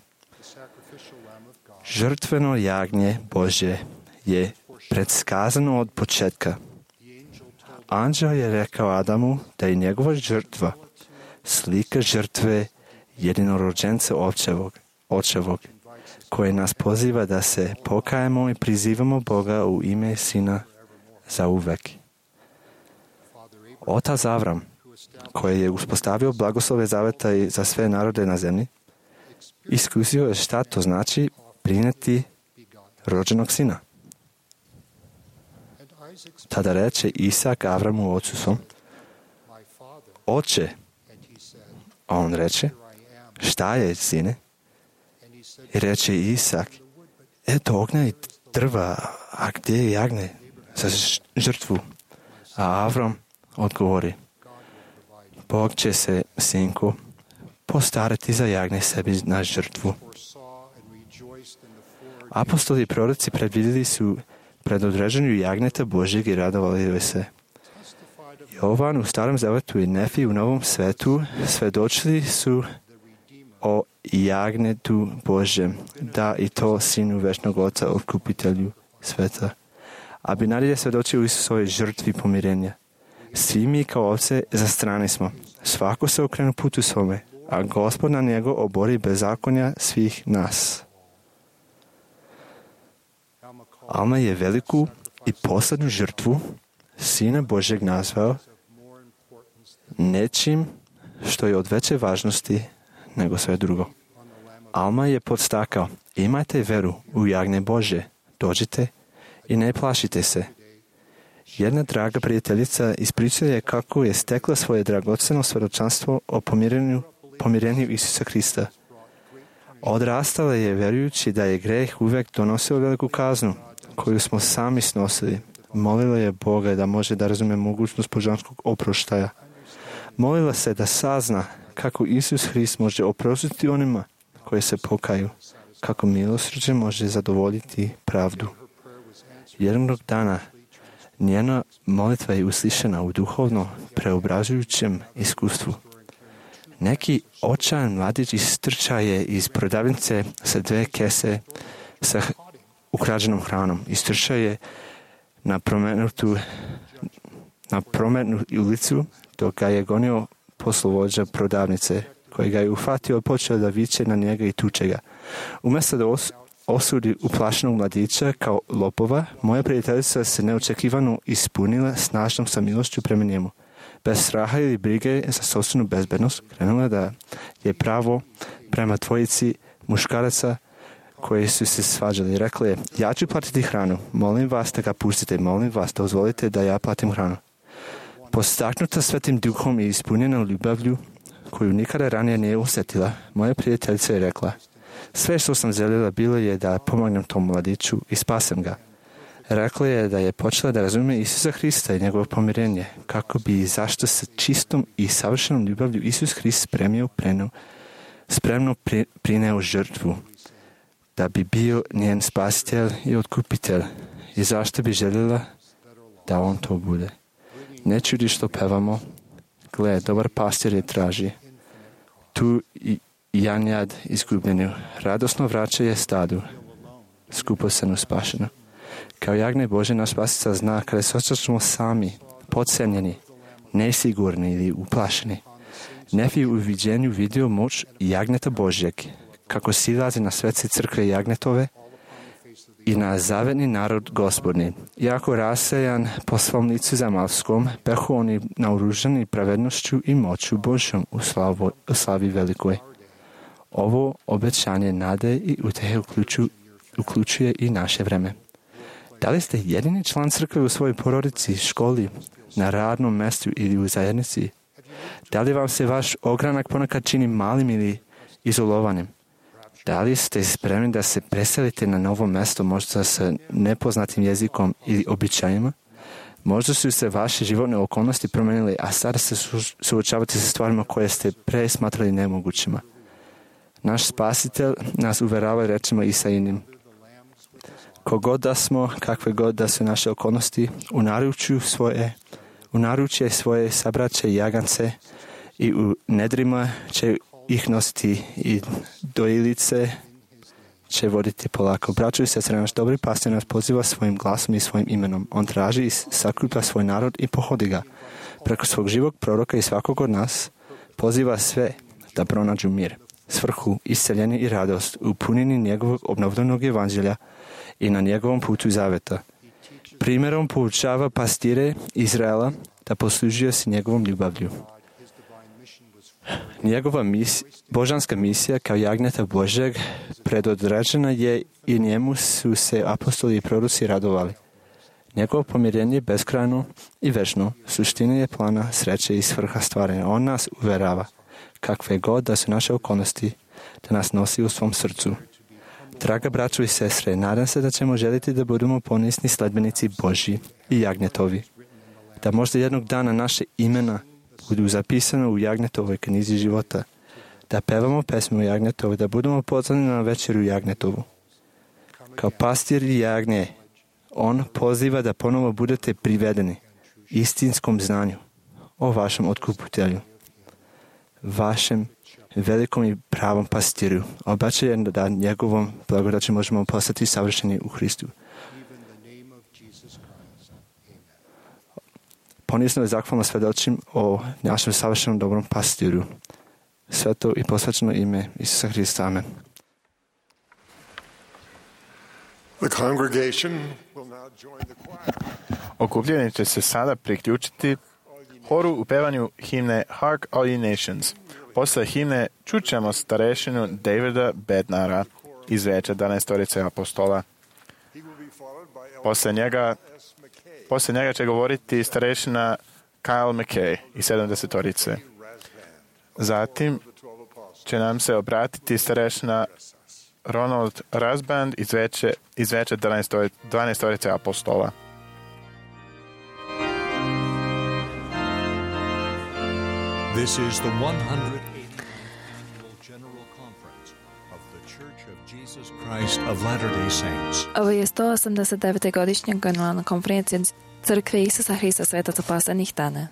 Žrtveno jagnje Božje je predskazano od početka. Anđel je rekao Adamu da je njegova žrtva slika žrtve jedinorođenca očevog, koji nas poziva da se pokajemo i prizivamo Boga u ime Sina za uvek. Otac Avram, koji je uspostavio blagoslove zaveta i za sve narode na zemlji, iskusio je šta to znači prinijeti rođenog sina. Tada reče Isak Avramu ocu svom: Oče. A on reče: Šta je, sine? I reče Isak: Eto ognja i drva, a gdje je jagnje za žrtvu? A Avram odgovori: Bog će se, sinko, postarati za jagnje sebi na žrtvu. Apostoli i proroci predvidjeli su predodređenju jagnjeta Božjeg i radovali se. Jovan u Starom zavetu i Nefi u Novom svetu svedočili su o jagnjetu Božjem, da i to Sinu večnog Oca, otkupitelju sveta. A Binarij je svedočio u Isusovoj žrtvi pomirenja. Svi mi kao ovce za strane smo. Svako se okrenu putu svome, a Gospod na njego obori bezakonja svih nas. Alma je veliku i poslednju žrtvu Sina Božjeg nazvao nečim što je od veće važnosti nego sve drugo. Alma je podstakao: imajte veru u jagnje Božje, dođite i ne plašite se. Jedna draga prijateljica ispričala je kako je stekla svoje dragoceno svjedočanstvo o pomirenju Isusa Krista. Odrastala je vjerujući da je greh uvijek donosio veliku kaznu, koju smo sami snosili. Molila je Boga da može da razume mogućnost božanskog oproštaja. Molila se da sazna kako Isus Hrist može oprostiti onima koji se pokaju, kako milosrđe može zadovoljiti pravdu. Jednog dana njena molitva je uslišena u duhovno preobražujućem iskustvu. Neki očajan mladić istrča je iz prodavnice sa 2 kese sa ukrađenom hranom. Istrča je na prometnu ulicu dok ga je gonio poslovođa prodavnice, koji ga je uhvatio i počeo da viče na njega i tuče ga. Umjesto da osudi uplašenog mladića kao lopova, moja prijateljica se neočekivano ispunila snažnom samilošću prema njemu. Bez straha ili brige za sopstvenu bezbednost, krenula da je pravo prema dvojici muškaraca koji su se svađali. Rekla je: ja ću platiti hranu, molim vas da ga pustite, molim vas da dozvolite da ja platim hranu. Postaknuta Svetim Duhom i ispunjena ljubavlju koju nikada ranije nije osjetila, moja prijateljica je rekla: sve što sam željela bilo je da pomognem tom mladiću i spasem ga. Rekla je da je počela da razume Isusa Hrista i njegovo pomirenje, kako bi i zašto sa čistom i savršenom ljubavlju Isus Hrist spremno prineo žrtvu, da bi bio njen spasitelj i otkupitelj, i zašto bi željela da on to bude. Ne čudi što pevamo: gle, dobar pastir je traži, tu i janjad izgubljenju, radosno vraća je stadu, skupocenu spašenu. Kao jagnje Bože, naš spasitelj zna kada se osjećamo sami, podcenjeni, nesigurni ili uplašeni. Nefi u viđenju vidio moć jagnjeta Božjeg, kako silazi na svece crkve jagnjetove i na zavetni narod Gospodni. Iako rasejan po svom licu zemaljskom, behu oni naoružani pravednošću i moću Božjom u slavi velikoj. Ovo obećanje nade i utehe uključuje i naše vreme. Da li ste jedini član crkve u svojoj porodici, školi, na radnom mjestu ili u zajednici? Da li vam se vaš ogranak ponekad čini malim ili izolovanim? Da li ste spremni da se preselite na novo mjesto, možda sa nepoznatim jezikom ili običajima? Možda su se vaše životne okolnosti promijenile, a sada se suočavate sa stvarima koje ste pre smatrali nemogućima. Naš spasitelj nas uverava rečima Isaijinim: kogod da smo, kakve god da su naše okolnosti, u naručje svoje sabraće jagance i u nedrima će ih nositi i dojilice će voditi polako. Braćo i sestre, naš dobri pastir nas poziva svojim glasom i svojim imenom. On traži i sakuplja svoj narod i pohodi ga. Preko svog živog proroka i svakog od nas poziva sve da pronađu mir, svrhu, isceljenje i radost u punini njegovog obnovljenog evanđelja i na njegovom putu zaveta. Primjerom poučava pastire Izraela da poslužio se njegovom ljubavlju. Njegova božanska misija kao jagnjeta Božeg predodređena je i njemu su se apostoli i proroci radovali. Njegovo pomirenje je beskrajno i večno, suština je plana sreće i svrha stvaranja. On nas uverava, kakve god da su naše okolnosti, da nas nosi u svom srcu. Draga braćo i sestre, nadam se da ćemo želiti da budemo ponosni sledbenici Božji i jagnjetovi. Da možda jednog dana naše imena budu zapisane u jagnjetovoj knjizi života. Da pevamo pesmu jagnjetovu, da budemo pozvani na večeru jagnjetovu. Kao pastir i jagnje, on poziva da ponovo budete privedeni istinskom znanju o vašem otkupitelju, vašem velikom i pravom pastiru. Obećaje da njegovom blagodaći možemo postati savršeni u Hristu. Ponisno i zahvalno svedočim o našem savršenom dobrom pastiru. Sveto i posvećeno ime Isusa Hrista. Amen. Okupljeni će se sada priključiti horu u pevanju himne Hark All Ye Nations. Posle himne čućemo starešinu Davida Bednara iz Veća 12 apostola. Posle njega će govoriti starešina Kyle McKay iz 70. Zatim će nam se obratiti starešina Ronald Rasband iz Veća 12 apostola. This is the 108th Annual General Conference of the Church of Jesus Christ of Latter-day Saints. Ovo je 189. godišnja generalna konferencija Crkve Isusa Hrista svetaca poslednjih dana.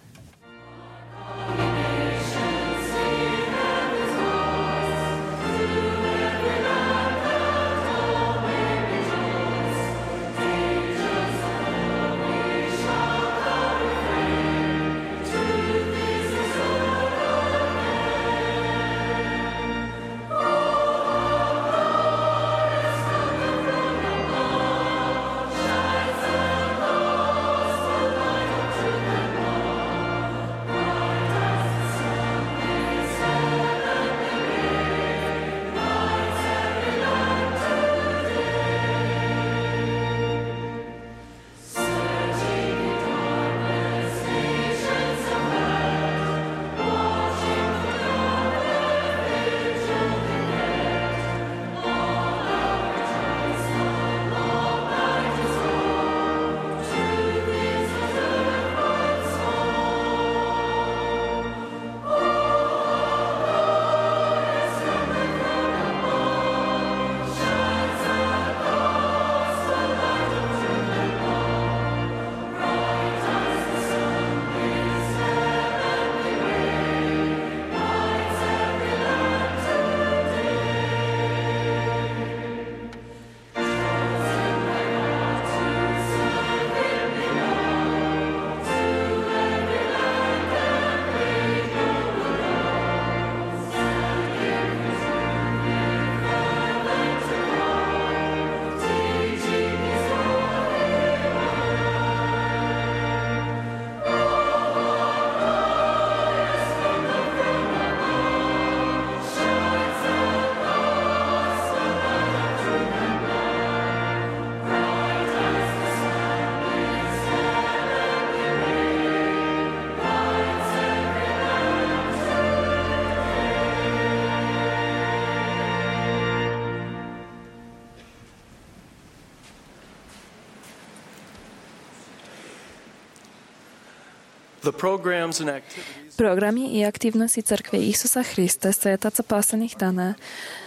Programi i aktivnosti Crkve Isusa Hrista svetaca poslednjih dana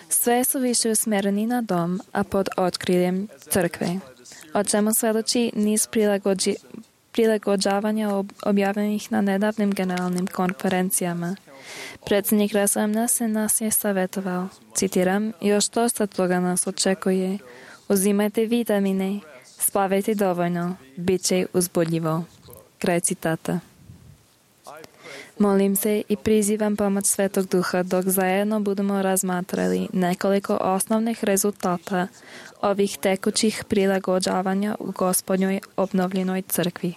sve su više usmereni na dom, a pod otkriljem Crkve, o čemu svedoči niz prilagođavanja objavljenih na nedavnim generalnim konferencijama. Predsjednik Raslamna se nas je savjetoval. Citiram, još dosta toga nas očekuje. Uzimajte vitamine, spavajte dovoljno, bit će uzbudljivo. Kraj citata. Molim se i prizivam pomoć Svetog Duha dok zajedno budemo razmatrali nekoliko osnovnih rezultata ovih tekućih prilagođavanja u Gospodnjoj obnovljenoj crkvi.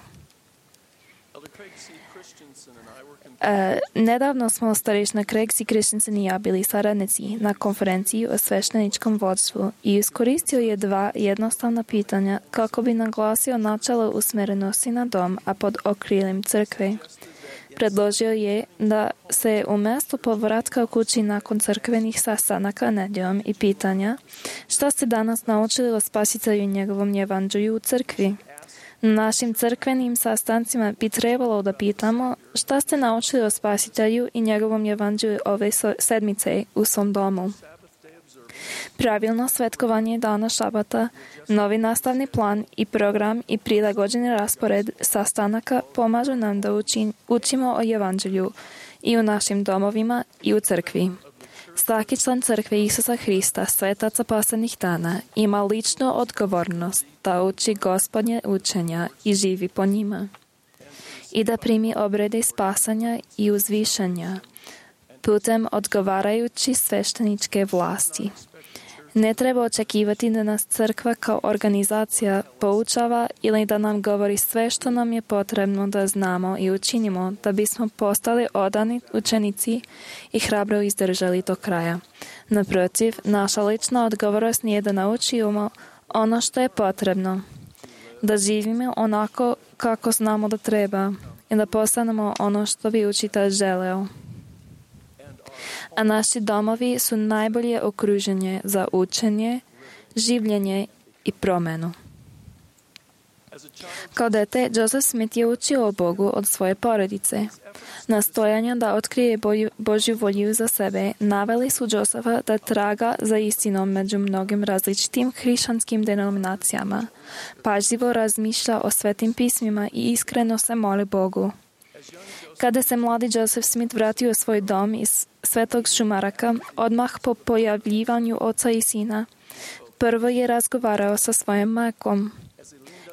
Nedavno smo starešina Craig C. Christensen i ja bili saradnici na konferenciji o svešteničkom vodstvu i iskoristio je 2 jednostavna pitanja kako bi naglasio načelo usmerenosti na dom, a pod okriljem crkve. Predložio je da se umjesto povratka u kući nakon crkvenih sastanaka nedjeljom i pitanja šta ste danas naučili o Spasitelju i njegovom evanđelju u crkvi. Na našim crkvenim sastancima bi trebalo da pitamo šta ste naučili o Spasitelju i njegovom evanđelju ove sedmice u svom domu. Pravilno svetkovanje dana šabata, novi nastavni plan i program i prilagođeni raspored sastanaka pomažu nam da učimo o evanđelju i u našim domovima i u crkvi. Svaki član crkve Isusa Hrista, svetaca posljednjih dana, ima ličnu odgovornost da uči Gospodnje učenja i živi po njima i da primi obrede spasanja i uzvišanja putem odgovarajući svešteničke vlasti. Ne treba očekivati da nas crkva kao organizacija poučava ili da nam govori sve što nam je potrebno da znamo i učinimo da bismo postali odani učenici i hrabro izdržali do kraja. Naprotiv, naša lična odgovornost nije da naučimo ono što je potrebno, da živimo onako kako znamo da treba i da postanemo ono što bi učitelj želeo. A naši domovi su najbolje okruženje za učenje, življenje i promjenu. Kao dete, Joseph Smith je učio o Bogu od svoje porodice. Nastojanja da otkrije Božju volju za sebe naveli su Josepha da traga za istinom među mnogim različitim hrišćanskim denominacijama, pažljivo razmišlja o svetim pismima i iskreno se moli Bogu. Kada se mladi Joseph Smith vratio u svoj dom iz Svetog Šumaraka, odmah po pojavljivanju oca i sina, prvo je razgovarao sa svojom majkom.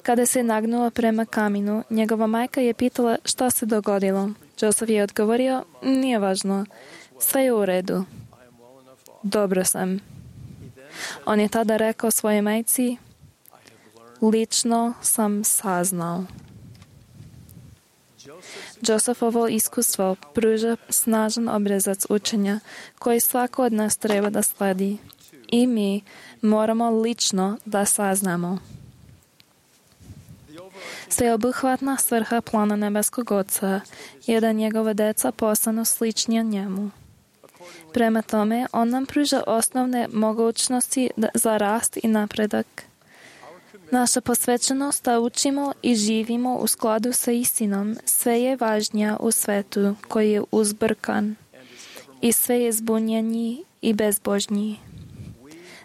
Kada se nagnuo prema kaminu, njegova majka je pitala šta se dogodilo. Joseph je odgovorio, nije važno, sve je u redu. Dobro sam. On je tada rekao svojoj majci, lično sam saznao. Josephovo iskustvo pruža snažan obrazac učenja koji svako od nas treba da sledi. I mi moramo lično da saznamo. Sveobuhvatna svrha plana nebeskog Oca je da njegova deca postanu sličnija njemu. Prema tome, on nam pruža osnovne mogućnosti za rast i napredak. Naša posvećenost da učimo i živimo u skladu sa istinom sve je važnija u svetu koji je uzbrkan i sve je zbunjeniji i bezbožniji.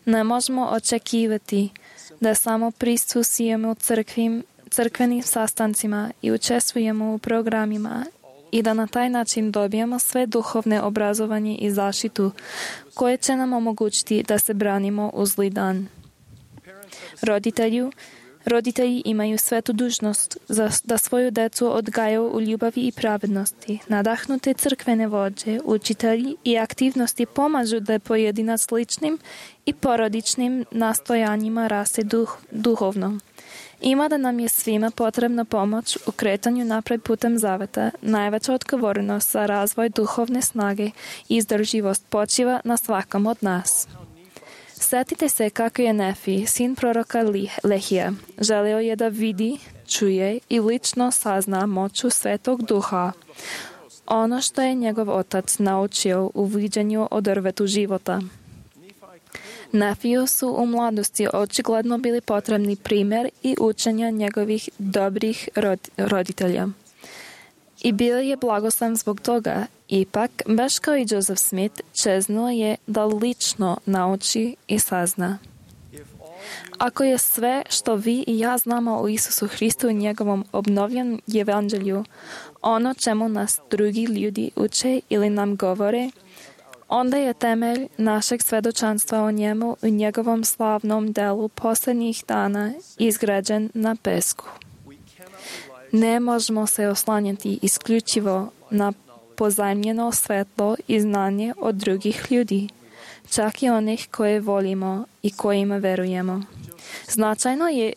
Ne možemo očekivati da samo prisustvujemo crkvenim sastancima i učestvujemo u programima i da na taj način dobijemo sve duhovne obrazovanje i zaštitu koje će nam omogućiti da se branimo u zli dan. Roditelji imaju svetu dužnost da svoju decu odgajaju u ljubavi i pravednosti. Nadahnute crkvene vođe, učitelji i aktivnosti pomažu da pojedinac ličnim i porodičnim nastojanjima raste duhovno. Ima da nam je svima potrebna pomoć u kretanju napred putem zaveta. Najveća odgovornost za razvoj duhovne snage i izdržljivost počiva na svakom od nas. Sjetite se kako je Nefi, sin proroka Lehija, želio je da vidi, čuje i lično sazna moću Svetog Duha. Ono što je njegov otac naučio u viđenju o drvetu života. Nefiju su u mladosti očigledno bili potrebni primjer i učenja njegovih dobrih roditelja. I bio je blagoslan zbog toga. Ipak, baš kao i Joseph Smith, čeznuo je da lično nauči i sazna. Ako je sve što vi i ja znamo o Isusu Hristu i njegovom obnovljenom evanđelju, ono čemu nas drugi ljudi uče ili nam govore, onda je temelj našeg svedočanstva o njemu i njegovom slavnom delu posljednjih dana izgrađen na pesku. Ne možemo se oslanjati isključivo na pozajmljeno svetlo i znanje od drugih ljudi, čak i onih koje volimo i kojima verujemo. Značajno je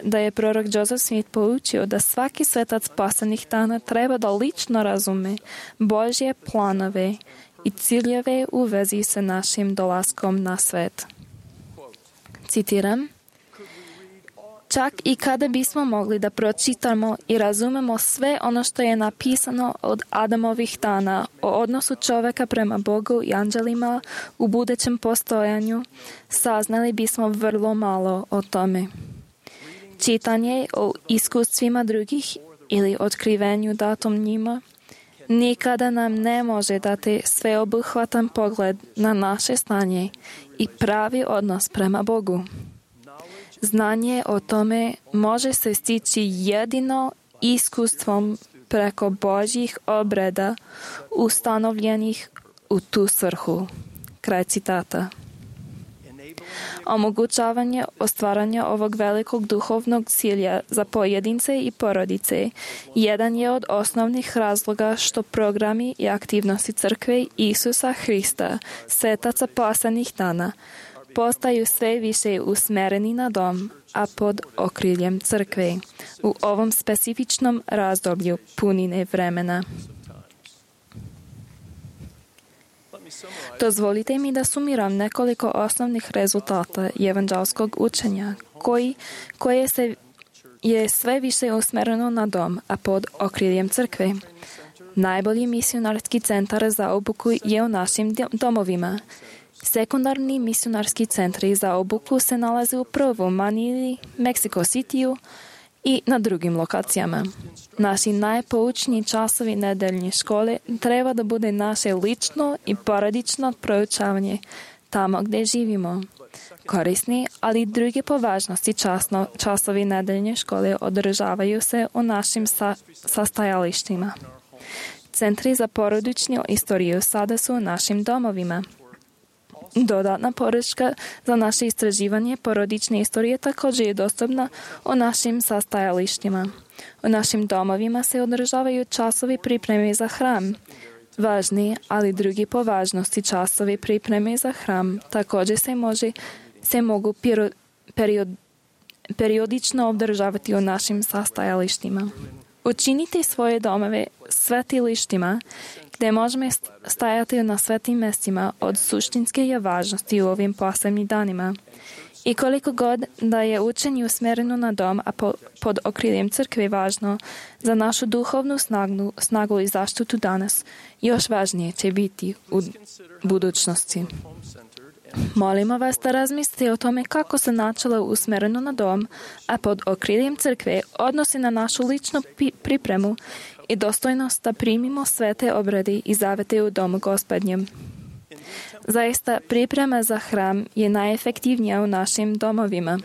da je prorok Joseph Smith poučio da svaki svetac posljednjih dana treba da lično razume Božje planove i ciljeve u vezi sa našim dolaskom na svet. Citiram: čak i kada bismo mogli da pročitamo i razumemo sve ono što je napisano od Adamovih dana o odnosu čoveka prema Bogu i anđelima u budućem postojanju, saznali bismo vrlo malo o tome. Čitanje o iskustvima drugih ili otkrivenju datom njima nikada nam ne može dati sveobuhvatan pogled na naše stanje i pravi odnos prema Bogu. Znanje o tome može se stići jedino iskustvom preko Božjih obreda ustanovljenih u tu svrhu. Kraj citata. Omogućavanje ostvaranja ovog velikog duhovnog cilja za pojedince i porodice jedan je od osnovnih razloga što programi i aktivnosti crkve Isusa Hrista, svetaca posljednjih dana, postaju sve više usmereni na dom, a pod okriljem crkve u ovom specifičnom razdoblju punine vremena. Dozvolite mi da sumiram nekoliko osnovnih rezultata evanđelskog učenja, koje je sve više usmereno na dom, a pod okriljem crkve. Najbolji misionarski centar za obuku je u našim domovima. Sekundarni misionarski centri za obuku se nalaze upravo u Manili, Mexico Cityu i na drugim lokacijama. Naši najpoučniji časovi nedeljne škole treba da bude naše lično i porodično proučavanje tamo gdje živimo. Korisni, ali i druge po važnosti časovi nedeljne škole održavaju se u našim sastajalištima. Centri za porodičnu istoriju sada su u našim domovima. Dodatna podrška za naše istraživanje porodične istorije također je dostupna u našim sastajalištima. U našim domovima se održavaju časovi pripreme za hram. Važni, ali drugi po važnosti časovi pripreme za hram također se mogu periodično održavati u našim sastajalištima. Učinite svoje domove svetilištima gdje možemo stajati na svetim mjestima od suštinske je važnosti u ovim posljednjim danima. I koliko god da je učenje usmjereno na dom, a pod okriljem crkve važno za našu duhovnu snagu i zaštitu danas, još važnije će biti u budućnosti. Molimo vas da razmislite o tome kako se načelo usmjereno na dom, a pod okriljem crkve odnosi na našu ličnu pripremu i dostojnost da primimo svete obrede i zavete u domu Gospodnjem. Zaista, priprema za hram je najefektivnija u našim domovima.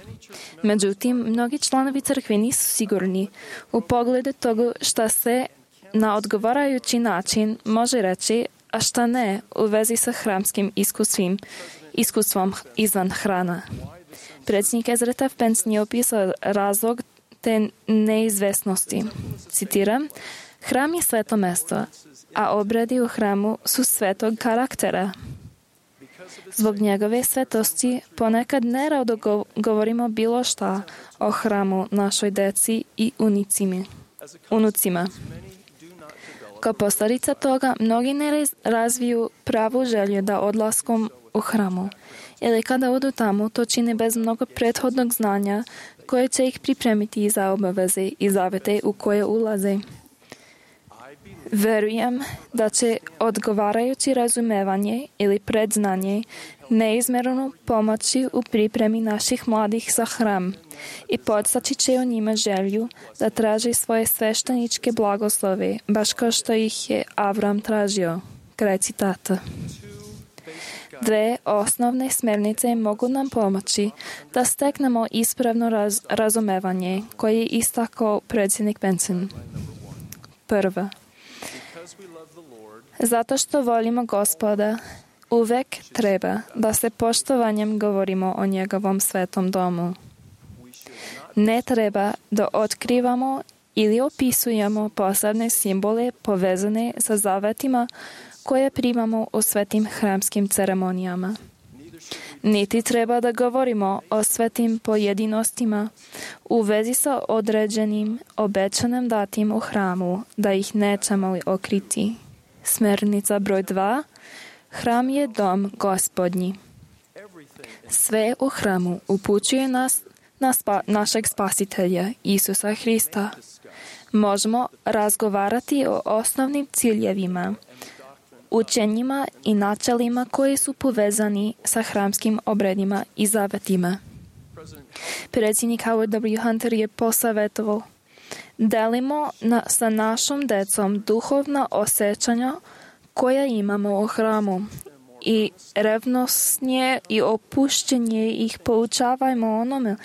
Međutim, mnogi članovi crkve nisu sigurni u pogledu toga šta se na odgovarajući način može reći, a šta ne u vezi sa hramskim iskustvom izvan hrana. Predsjednik Ezra Taft je opisao razlog te neizvesnosti. Citiram: hram je sveto mesto, a obredi u hramu su svetog karaktera. Zbog njegove svetosti ponekad nerado govorimo bilo šta o hramu našoj deci i unucima. Kao posljedica toga, mnogi ne razviju pravu želju da odlaskom u hramu, ili kada odu tamo, to čine bez mnogo prethodnog znanja koje će ih pripremiti za obaveze i zavete u koje ulaze. Verujem da će odgovarajući razumevanje ili predznanje neizmjerno pomoći u pripremi naših mladih za hram i podstaći će u njima želju da traži svoje svešteničke blagoslove, baš kao što ih je Avram tražio. Kraj citata. Dve osnovne smernice mogu nam pomoći da steknemo ispravno razumevanje koje je istakao predsjednik Benson. Prva. Zato što volimo Gospoda, uvek treba da se poštovanjem govorimo o njegovom svetom domu. Ne treba da otkrivamo ili opisujemo posebne simbole povezane sa zavetima koje primamo u svetim hramskim ceremonijama. Niti treba da govorimo o svetim pojedinostima u vezi sa određenim obećanim datim u hramu, da ih nećemo li okriti. Smernica broj 2. Hram je dom Gospodnji. Sve u hramu upućuje nas na našeg spasitelja, Isusa Hrista. Možemo razgovarati o osnovnim ciljevima, učenjima i načelima koji su povezani sa hramskim obredima i zavetima. Predsjednik Howard W. Hunter je posavjetovao: delimo sa našom decom duhovna osjećanja koja imamo u hramu i revnosnije i opuštenje ih poučavajmo onome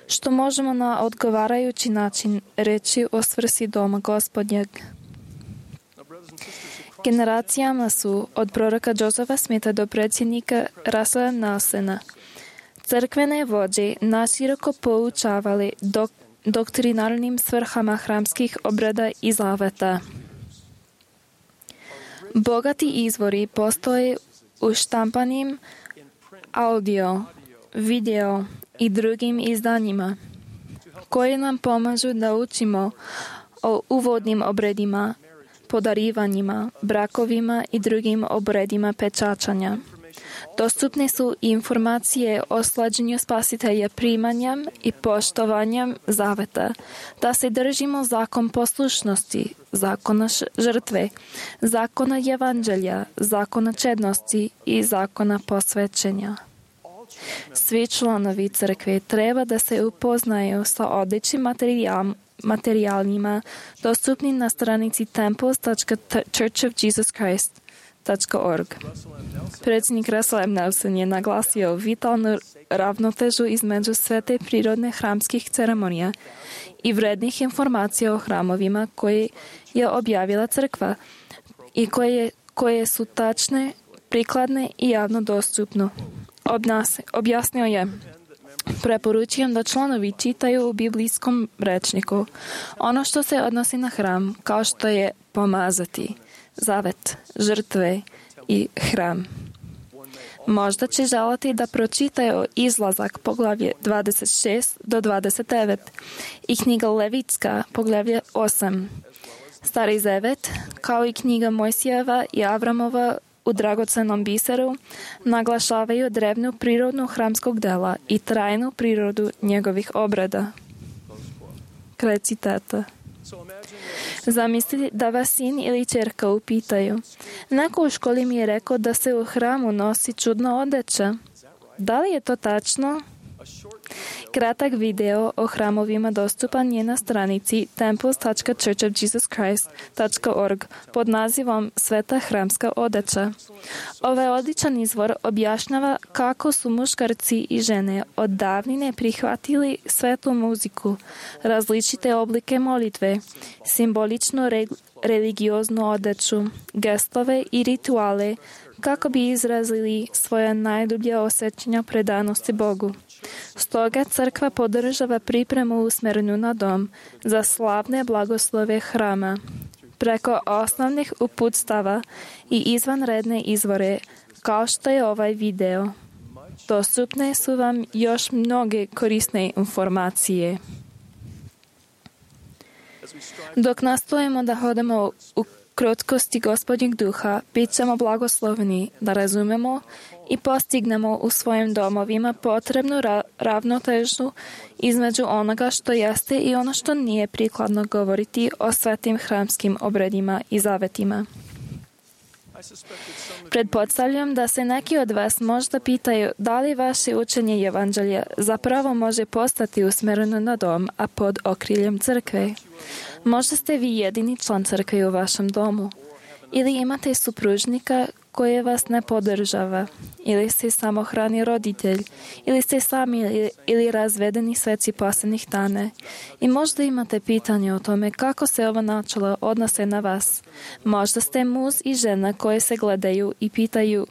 što možemo na odgovarajući način reći o svrsi doma Gospodnjeg. Generacijama su od proroka Josepha Smitha do predsjednika Russella Nelsona crkvene vođe naširoko poučavali doktrinarnim svrhama hramskih obreda i zaveta. Bogati izvori postoje u štampanim audio, video i drugim izdanjima koji nam pomažu da učimo o uvodnim obredima, podarivanjima, brakovima i drugim obredima pečačanja. Dostupne su informacije o slađenju spasitelja primanjem i poštovanjem zaveta, da se držimo zakon poslušnosti, zakona žrtve, zakona evanđelja, zakona čednosti i zakona posvećenja. Svi članovi crkve treba da se upoznaju sa odličnim materijalima dostupni na stranici temples.churchofjesuschrist.org. Predsjednik Russell M. Nelson je naglasio vitalnu ravnotežu između svete prirodne hramskih ceremonija i vrednih informacija o hramovima koje je objavila crkva i koje su tačne, prikladne i javno dostupne. Objasnio je: preporučujem da članovi čitaju u biblijskom rečniku ono što se odnosi na hram, kao što je pomazati, zavet, žrtve i hram. Možda će želiti da pročitaju Izlazak poglavlje 26 do 29 i knjiga Levitska poglavlje 8. Stari zavet, kao i knjiga Mojsijeva i Avramova u dragocenom biseru, naglašavaju drevnu prirodnu hramskog dela i trajnu prirodu njegovih obreda. Kraj citata. Zamislite da vas sin ili ćerka upitaju: neko u školi mi je rekao da se u hramu nosi čudna odeća. Da li je to tačno? Kratak video o hramovima dostupan je na stranici temples.churchofjesuschrist.org pod nazivom Sveta hramska odeća. Ovaj odličan izvor objašnjava kako su muškarci i žene od davnine prihvatili svetu muziku, različite oblike molitve, simboličnu religioznu odeću, gestove i rituale kako bi izrazili svoja najdublja osjećanja predanosti Bogu. Stoga crkva podržava pripremu usmjerenu na dom za slavne blagoslove hrama. Preko osnovnih uputstava i izvanredne izvore, kao što je ovaj video, dostupne su vam još mnoge korisne informacije. Dok nastojimo da hodamo u krotkosti Gospodnjeg duha, bit ćemo blagosloveni da razumemo i postignemo u svojim domovima potrebnu ravnotežu između onoga što jeste i ono što nije prikladno govoriti o svetim hramskim obredima i zavetima. Pretpostavljam da se neki od vas možda pitaju da li vaše učenje evanđelja zapravo može postati usmjereno na dom, a pod okriljem crkve. Možda ste vi jedini član crkve u vašem domu ili imate supružnika koji vas ne podržava, ili ste samohrani roditelj, ili ste sami ili razvedeni sveci posljednjih dana. I možda imate pitanje o tome kako se ovo načelo odnose na vas. Možda ste muž i žena koje se gledaju i pitaju,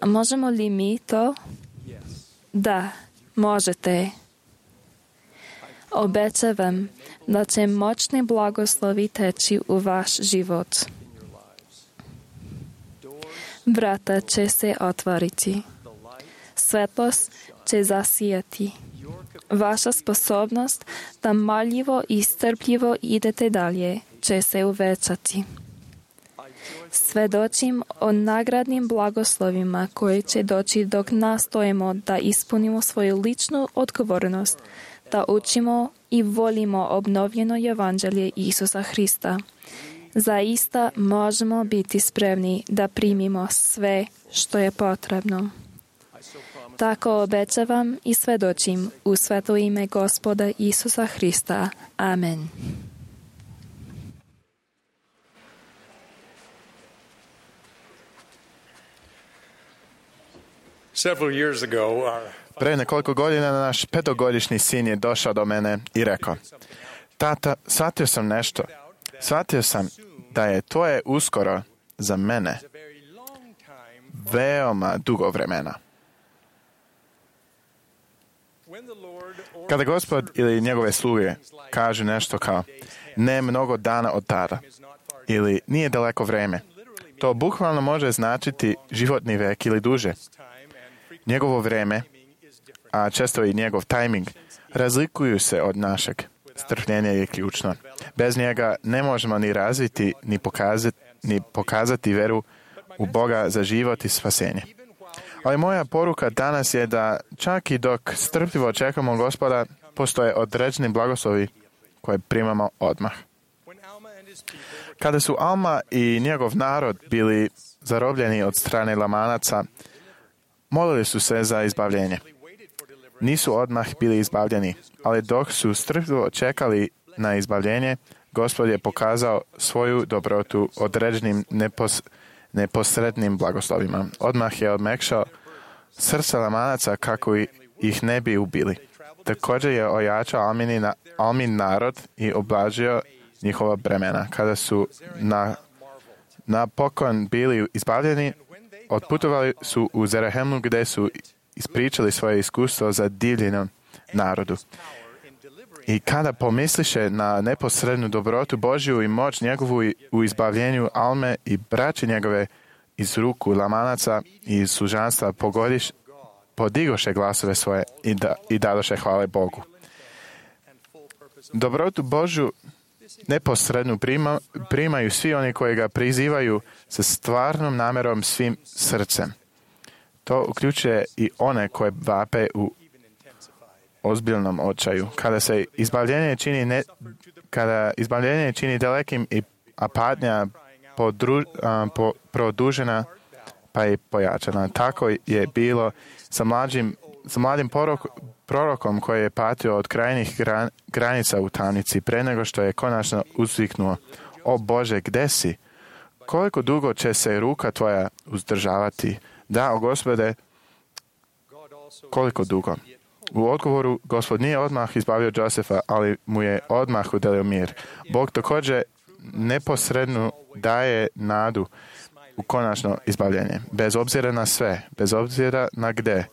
a možemo li mi to? Da, možete. Obećavam da će moćni blagoslovi teći u vaš život. Vrata će se otvoriti. Svetlost će zasijati. Vaša sposobnost da marljivo i strpljivo idete dalje će se uvećati. Svedočim o nagradnim blagoslovima koji će doći dok nastojimo da ispunimo svoju ličnu odgovornost, da učimo i volimo obnovljeno evanđelje Isusa Hrista. Zaista možemo biti spremni da primimo sve što je potrebno. Tako obećavam i svedočim u sveto ime Gospoda Isusa Hrista. Amen. Pre nekoliko godina naš 5-godišnji sin je došao do mene i rekao, tata, shvatio sam nešto. Shvatio sam da je to uskoro za mene veoma dugo vremena. Kada Gospod ili njegove sluge kažu nešto kao ne mnogo dana od tada ili nije daleko vreme, to bukvalno može značiti životni vek ili duže. Njegovo vreme, a često i njegov tajming, razlikuju se od našeg. Strpljenje je ključno. Bez njega ne možemo ni razviti, ni pokazati veru u Boga za život i spasenje. Ali moja poruka danas je da čak i dok strpljivo čekamo Gospoda, postoje određeni blagoslovi koje primamo odmah. Kada su Alma i njegov narod bili zarobljeni od strane Lamanaca, molili su se za izbavljenje. Nisu odmah bili izbavljeni, ali dok su strpljivo čekali na izbavljenje, Gospod je pokazao svoju dobrotu određenim neposrednim blagoslovima. Odmah je odmekšao srca Lamanaca kako ih ne bi ubili. Također je ojačao Almin narod i oblažio njihova bremena. Kada su napokon bili izbavljeni, otputovali su u Zerahemlu gdje su ispričali svoje iskustvo za divljenom narodu. I kada pomisliše na neposrednu dobrotu Božju i moć njegovu u izbavljenju Alme i braće njegove iz ruku Lamanaca i iz služanstva podigoše glasove svoje i dadoše hvale Bogu. Dobrotu Božju neposrednu primaju svi oni koji ga prizivaju sa stvarnom namjerom svim srcem. To uključuje i one koje vape u ozbiljnom očaju. Kada izbavljenje čini dalekim a patnja produžena pa i pojačana. Tako je bilo sa mladim prorokom koji je patio od krajnjih granica u tamnici pre nego što je konačno uzviknuo: O Bože, gde si? Koliko dugo će se ruka tvoja uzdržavati? Da, o Gospode, koliko dugo? U odgovoru, Gospod nije odmah izbavio Josefa, ali mu je odmah udelio mir. Bog također neposredno daje nadu u konačno izbavljenje. Bez obzira na sve, bez obzira na gde.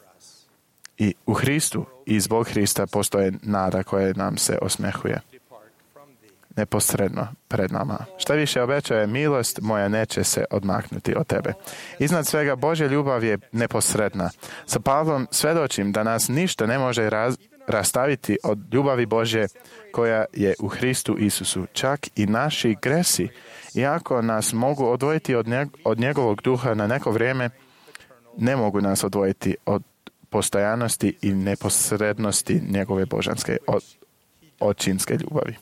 I u Hristu i zbog Hrista postoje nada koja nam se osmehuje. Neposredno pred nama. Šta više obećaje, milost moja neće se odmaknuti od tebe. Iznad svega Božja ljubav je neposredna. Sa Pavlom svedočim da nas ništa ne može rastaviti od ljubavi Božje koja je u Hristu Isusu. Čak i naši gresi, iako nas mogu odvojiti od njegovog duha na neko vrijeme, ne mogu nas odvojiti od postojanosti i neposrednosti njegove božanske očinske ljubavi.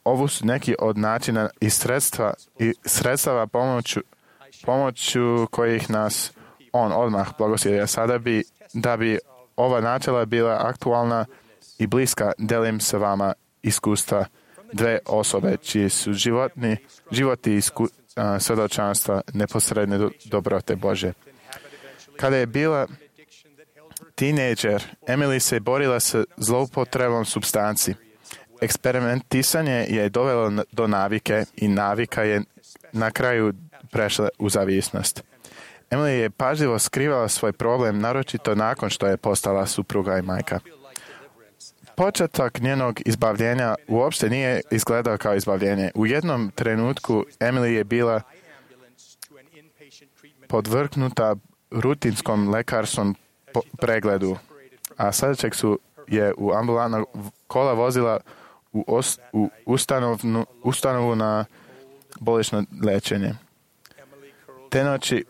Ovo su neki od načina i sredstava pomoću kojih nas on odmah blagoslivlja. Sada da bi ova načela bila aktualna i bliska, delim sa vama iskustva dve osobe čiji su životi svjedočanstva neposredne dobrote Bože. Kada je bila tinejdžer, Emily se borila sa zloupotrebom supstanci. Eksperimentisanje je dovelo do navike i navika je na kraju prešla u zavisnost. Emily je pažljivo skrivala svoj problem, naročito nakon što je postala supruga i majka. Početak njenog izbavljenja uopšte nije izgledao kao izbavljenje. U jednom trenutku Emily je bila podvrgnuta rutinskom lekarskom pregledu, a sljedećeg je u ambulantna kola vozila u ustanovu na bolnično lečenje. Te noći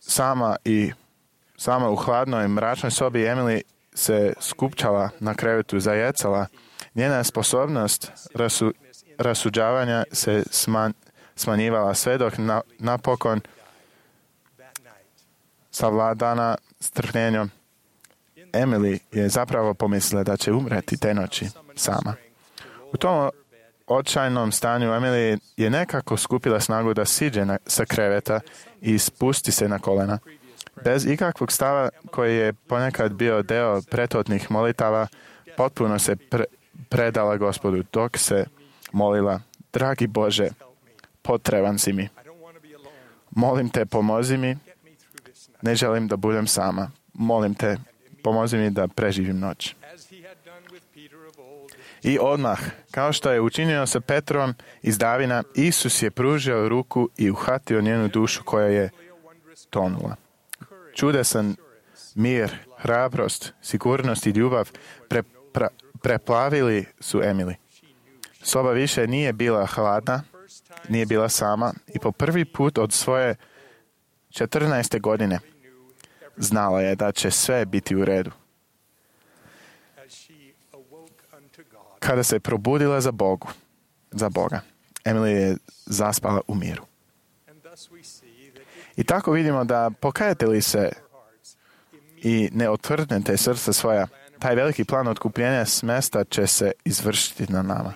sama u hladnoj, mračnoj sobi Emily se skupčala na krevetu, zajecala. Njena sposobnost rasuđavanja se smanjivala sve dok napokon savladana strpljenjem. Emily je zapravo pomislila da će umreti te noći sama. U tom očajnom stanju Emily je nekako skupila snagu da siđe sa kreveta i spusti se na kolena. Bez ikakvog stava koji je ponekad bio deo prethodnih molitava, potpuno se predala Gospodu dok se molila: dragi Bože, potreban si mi. Molim te, pomozi mi. Ne želim da budem sama. Molim te, pomozi mi da preživim noć. I odmah, kao što je učinio sa Petrom iz davina, Isus je pružio ruku i uhvatio njenu dušu koja je tonula. Čudesan mir, hrabrost, sigurnost i ljubav preplavili su Emily. Soba više nije bila hladna, nije bila sama i po prvi put od svoje 14. godine znala je da će sve biti u redu. Kada se probudila za Boga, Emily je zaspala u miru. I tako vidimo da pokajete se i ne otvrdnete srca svoja, taj veliki plan otkupljenja smesta će se izvršiti na nama.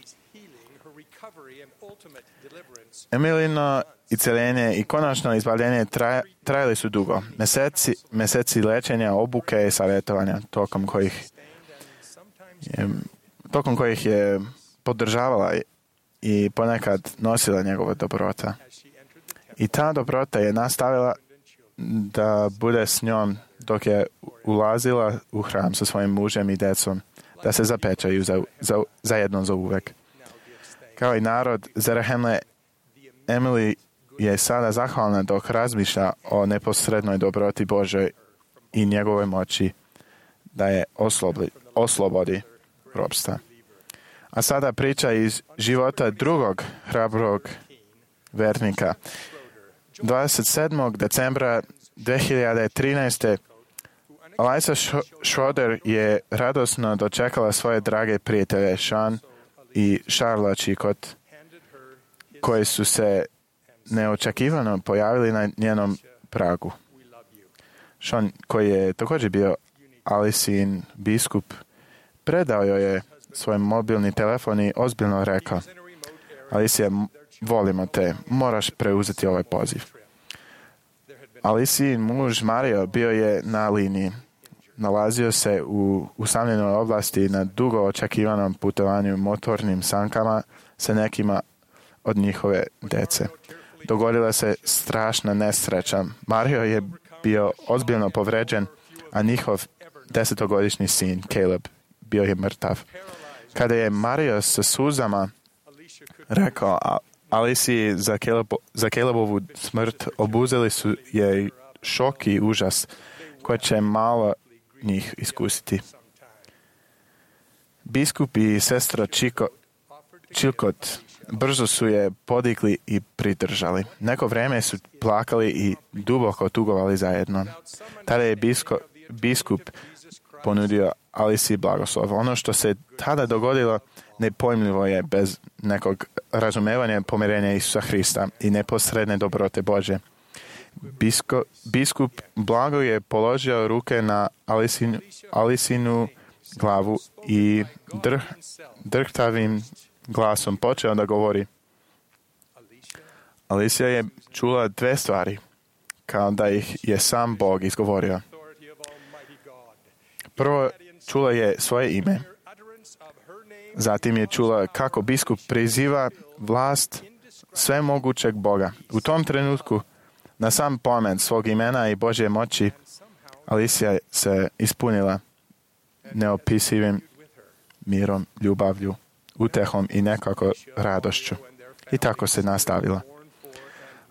Emilino isceljenje i konačno izbavljenje trajali su dugo. Meseci lečenja, obuke i savjetovanja, tokom kojih je podržavala i ponekad nosila njegova dobrota. I ta dobrota je nastavila da bude s njom dok je ulazila u hram sa svojim mužem i decom, da se zapečaju zajedno za uvek. Kao i narod Zarahemle, Emily je sada zahvalna dok razmišlja o neposrednoj dobroti Božoj i njegovoj moći da je oslobodi ropstva. A sada priča iz života drugog hrabrog vernika. 27. decembra 2013. Eliza Schroeder je radosno dočekala svoje drage prijatelje Sean i Charlotte Chicot, koji su se neočekivano pojavili na njenom pragu. Sean, koji je također bio Alicin biskup, predao joj je svoj mobilni telefon i ozbiljno rekao: Alicija, volimo te, moraš preuzeti ovaj poziv. Alicin muž Mario bio je na liniji. Nalazio se u usamljenoj oblasti na dugo očekivanom putovanju motornim sankama sa nekima od njihove dece. Dogodila se strašna nesreća. Mario je bio ozbiljno povređen, a njihov 10-godišnji sin, Caleb, bio je mrtav. Kada je Mario sa suzama rekao Aliciji za Calebovu smrt, obuzeli su je šok i užas koje će malo njih iskusiti. Biskup i sestra Chilcot brzo su je podigli i pridržali. Neko vrijeme su plakali i duboko tugovali zajedno. Tada je biskup ponudio Aliciji blagoslov. Ono što se tada dogodilo nepojmljivo je bez nekog razumevanja pomirenja Isusa Hrista i neposredne dobrote Bože. Biskup blago je položio ruke na Alicinu glavu i drhtavim glasom počeo da govori: Alicija je čula dve stvari, kao da ih je sam Bog izgovorio. Prvo, čula je svoje ime. Zatim je čula kako biskup priziva vlast svemogućeg Boga. U tom trenutku, na sam pomen svog imena i Božje moći, Alicija se ispunila neopisivim mirom, ljubavlju, utehom i nekako radošću. I tako se nastavila.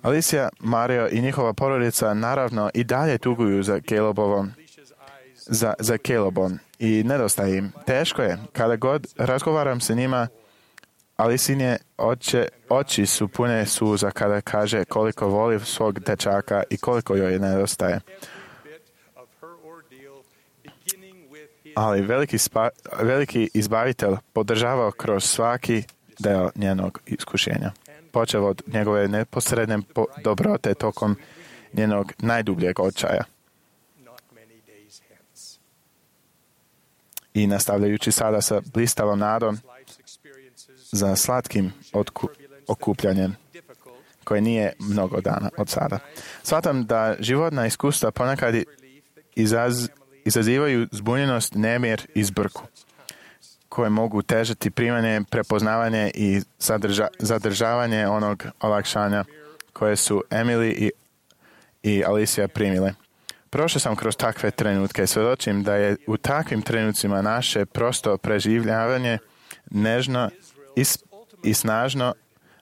Alicija, Mario i njihova porodica naravno i dalje tuguju za Calebom i nedostaje im. Teško je. Kada god razgovaram sa njima, Alicinje oči su pune suza kada kaže koliko voli svog dečaka i koliko joj nedostaje. Ali veliki izbavitelj podržavao kroz svaki deo njenog iskušenja. Počeo od njegove neposredne dobrote tokom njenog najdubljeg očaja. I nastavljajući sada sa blistavom nadom za slatkim okupljanjem koje nije mnogo dana od sada. Shvatam da životna iskustva ponekad izazivaju zbunjenost, nemir i zbrku, koje mogu težati primanje, prepoznavanje i zadržavanje onog olakšanja koje su Emily i Alicija primile. Prošao sam kroz takve trenutke. Svjedočim da je u takvim trenucima naše prosto preživljavanje nežno i snažno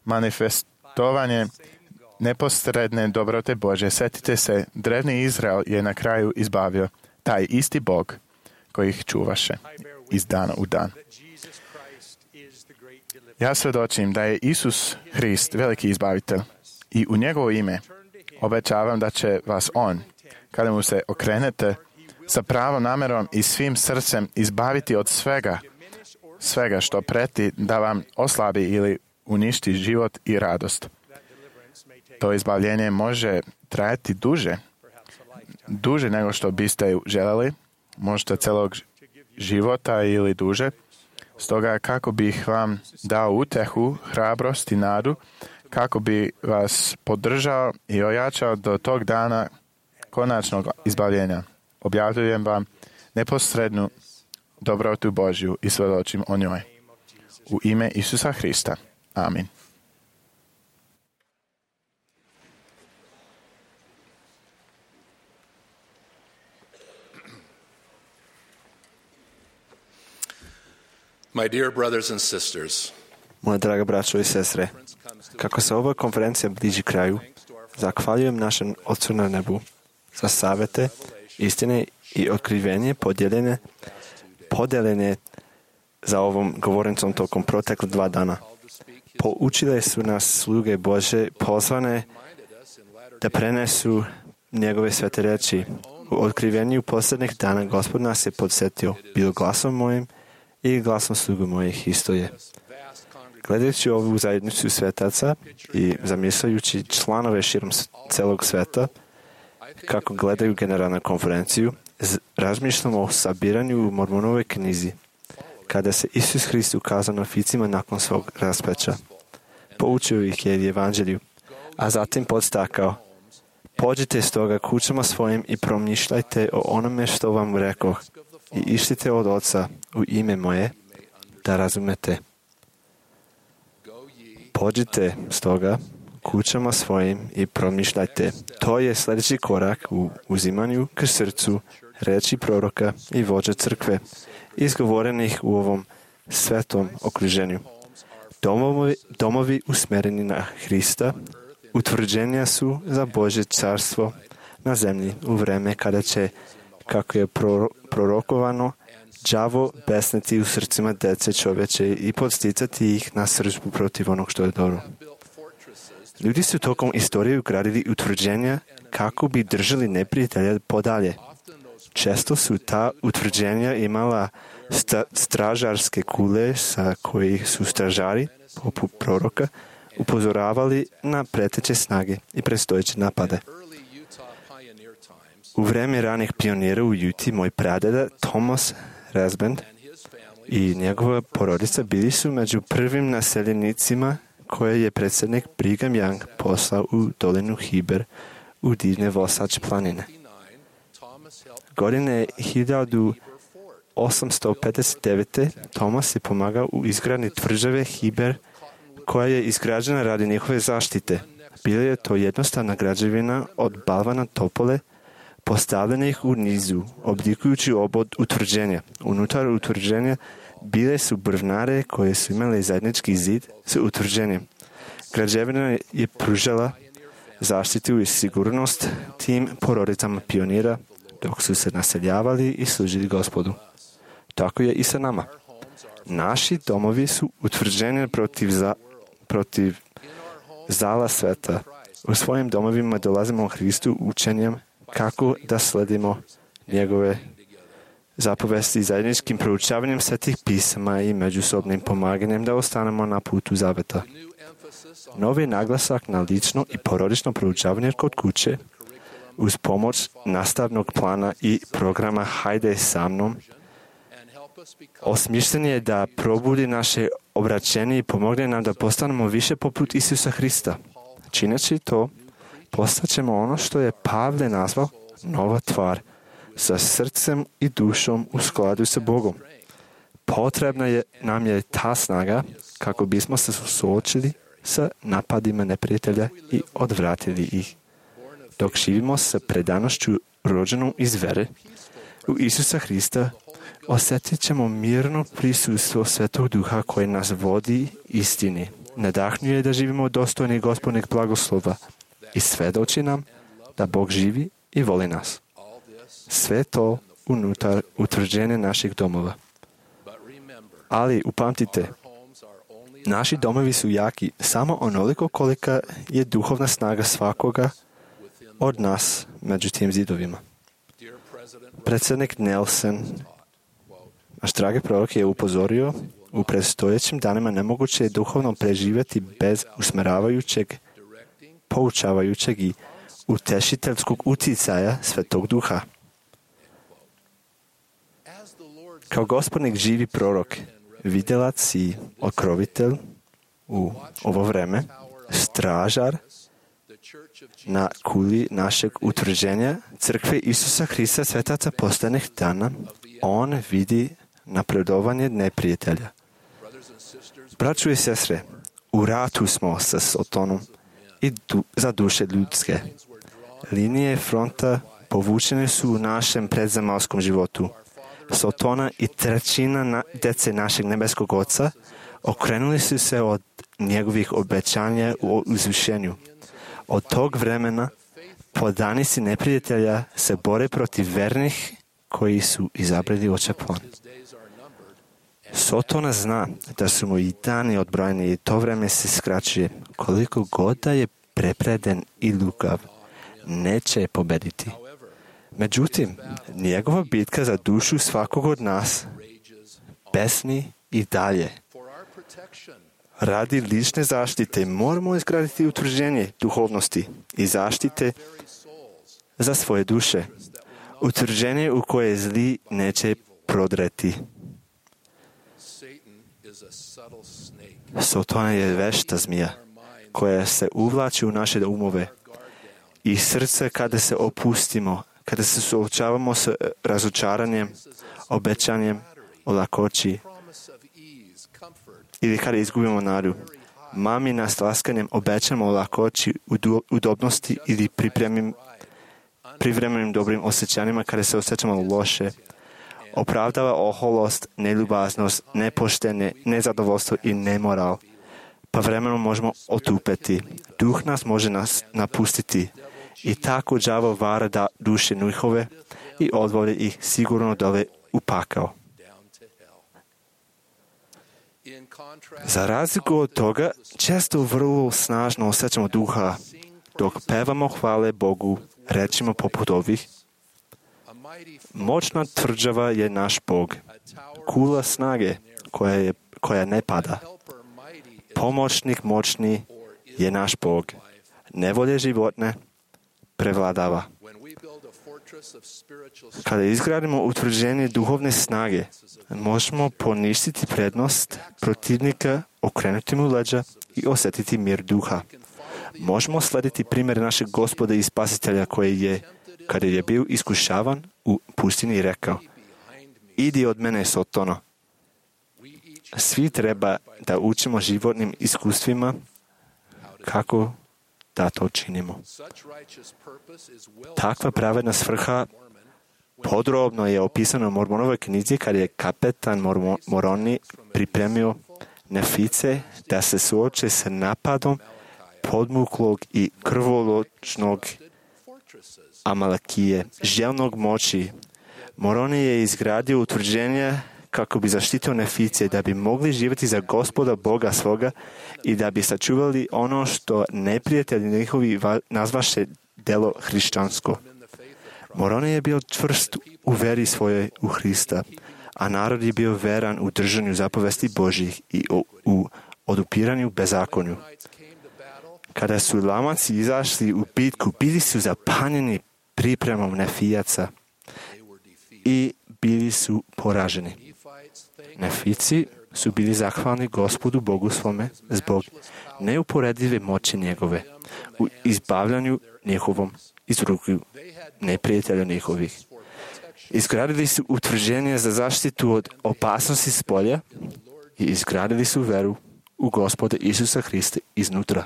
manifestovanje neposredne dobrote Bože. Sjetite se, drevni Izrael je na kraju izbavio taj isti Bog koji ih čuvaše iz dana u dan. Ja svjedočim da je Isus Hrist veliki izbavitelj i u njegovo ime obećavam da će vas On, kada mu se okrenete, sa pravom namerom i svim srcem izbaviti od svega što preti da vam oslabi ili uništi život i radost. To izbavljenje može trajati duže nego što biste želeli, možda celog života ili duže. Stoga kako bih vam dao utehu, hrabrost i nadu, kako bi vas podržao i ojačao do tog dana konačnog izbavljenja. Objavljujem vam neposrednu dobrotu Božju i svjedočim o njoj. U ime Isusa Hrista. Amin. My dear brothers and sisters, Moja draga braćo i sestre, kako se ova konferencija bliži kraju, zahvaljujem našem Otcu na nebu za savete, istine i otkrivenje podeljene za ovom govornicom tokom protekle 2 dana. Poučile su nas sluge Bože pozvane da prenesu njegove svete reči. U otkrivenju posljednjih dana Gospod nas je podsjetio, bilo glasom mojim i glasom slugu mojih isto je. Gledajući ovu zajednicu svetaca i zamišljajući članove širom celog sveta, kako gledaju generalnu konferenciju, razmišljamo o sabiranju u Mormonovoj knjizi, kada se Isus Hrist ukazao na ficima nakon svog raspeća. Poučio ih je evanđelju, a zatim podstakao: pođite stoga kućama svojim i promišljajte o onome što vam rekoh i išlite od Oca u ime moje, da razumete. Pođite stoga kućama svojim i promišljajte. To je sljedeći korak u uzimanju k srcu reči proroka i vođa crkve, izgovorenih u ovom svetom okruženju. Domovi usmjereni na Hrista utvrđenja su za Božje carstvo na zemlji u vreme kada će, kako je prorokovano, đavo besneti u srcima dece čovječe i podsticati ih na sržbu protiv onog što je dobro. Ljudi su tokom istorije ugradili utvrđenja kako bi držali neprijatelja podalje. Često su ta utvrđenja imala stražarske kule sa kojih su stražari, poput proroka, upozoravali na preteće snage i predstojeće napade. U vreme ranih pionira u Juti, moj pradeda Thomas Rasband i njegova porodica bili su među prvim naseljenicima koje je predsjednik Brigham Young poslao u dolinu Hiber u divne Wasatch planine. Godine 1859. Thomas je pomagao u izgradnji tvrđave Hiber, koja je izgrađena radi njihove zaštite. Bila je to jednostavna građevina od balvana topole, postavljenih u nizu, oblikujući obod utvrđenja. Unutar utvrđenja bile su brvnare koje su imale zajednički zid s utvrđenjem. Građevina je pružala zaštitu i sigurnost tim porodicama pionira dok su se naseljavali i služili Gospodu. Tako je i sa nama. Naši domovi su utvrđeni protiv zala sveta. U svojim domovima dolazimo u Hristu učenjem kako da sledimo njegove zapovesti zajedničkim proučavanjem svetih pisama i međusobnim pomaganjem da ostanemo na putu zaveta. Novi naglasak na lično i porodično proučavanje kod kuće uz pomoć nastavnog plana i programa Hajde sa mnom osmišljen je da probudi naše obraćenje i pomogne nam da postanemo više poput Isusa Hrista. Čineći to, postaćemo ono što je Pavle nazvao nova tvar, sa srcem i dušom u skladu sa Bogom. Potrebna nam je ta snaga kako bismo se suočili sa napadima neprijatelja i odvratili ih. Dok živimo sa predanošću rođenom iz vere u Isusa Hrista, osjetit ćemo mirno prisustvo Svetog Duha koje nas vodi istini. Nadahnjuje da živimo dostojni Gospodnjeg blagoslova i svedoči nam da Bog živi i voli nas. Sve to unutar utvrđenja naših domova. Ali upamtite, naši domovi su jaki samo onoliko kolika je duhovna snaga svakoga od nas među tim zidovima. Predsjednik Nelson, naš dragi prorok, je upozorio, u predstojećim danima nemoguće je duhovno preživjeti bez usmjeravajućeg, poučavajućeg i utešiteljskog utjecaja Svetog Duha. Kao Gospodnik živi prorok, vidjelac i okrovitelj u ovo vreme, stražar na kuli našeg utvrđenja crkve Isusa Hrista svetaca posljednjih dana, on vidi napredovanje neprijatelja. Braćo i sestre, u ratu smo sa Sotonom i za duše ljudske. Linije fronta povučene su u našem predzemalskom životu. Sotona i trećina dece našeg nebeskog Oca okrenuli su se od njegovih obećanja u uzvišenju. Od tog vremena podanici neprijatelja se bore protiv vernih koji su izabrali očeplan. Sotona zna da su mu i dani odbrojeni i to vreme se skraćuje. Koliko god da je prepreden i lukav, neće pobediti. Međutim, njegova bitka za dušu svakog od nas besni i dalje. Radi lične zaštite moramo izgraditi utvrđenje duhovnosti i zaštite za svoje duše. Utvrđenje u koje zli neće prodreti. Sotona je vešta zmija koja se uvlači u naše umove i srce kada se opustimo, kada se suočavamo s razočaranjem, obećanjem o lakoći ili kada izgubimo nadu. Mami nas laskanjem obećamo o lakoći, udobnosti ili privremenim dobrim osjećanjima kada se osjećamo loše. Opravdava oholost, neljubaznost, nepoštenje, nezadovoljstvo i nemoral. Pa vremenom možemo otupeti. Duh nas može napustiti. I tako đavo vara da duše njihove i odvode ih sigurno dole u pakao. Za razliku od toga, često vrlo snažno osjećamo duha. Dok pevamo hvale Bogu, rečimo poput ovih: moćna tvrđava je naš Bog, kula snage koja ne pada. Pomoćnik moćni je naš Bog, nevolje životne prevladava. Kada izgradimo utvrđenje duhovne snage, možemo poništiti prednost protivnika, okrenuti mu leđa i osjetiti mir duha. Možemo slediti primjer našeg Gospoda i Spasitelja koji je, kada je bio iskušavan u pustinji, rekao: idi od mene, Sotono. Svi treba da učimo životnim iskustvima kako da to činimo. Takva pravedna svrha podrobno je opisana u Mormonovoj knjizi kada je kapetan Moroni pripremio Nefice da se suoče sa napadom podmuklog i krvoločnog Amalekije, željnog moći. Moroni je izgradio utvrđenje kako bi zaštitio Nefice, da bi mogli živjeti za Gospoda Boga svoga i da bi sačuvali ono što neprijatelji njihovi nazvaše delo hrišćansko. Moroni je bio čvrst u veri svojoj u Hrista, a narod je bio veran u držanju zapovesti Božjih i u odupiranju bezakonju. Kada su Lamaci izašli u bitku, bili su zapanjeni pripremom Nefijaca i bili su poraženi. Nefici su bili zahvalni Gospodu Bogu svome zbog neuporedive moći njegove u izbavljanju njihovom iz ruku neprijatelja njihovih. Izgradili su utvrđenje za zaštitu od opasnosti s polja i izgradili su veru u Gospoda Isusa Hrista iznutra,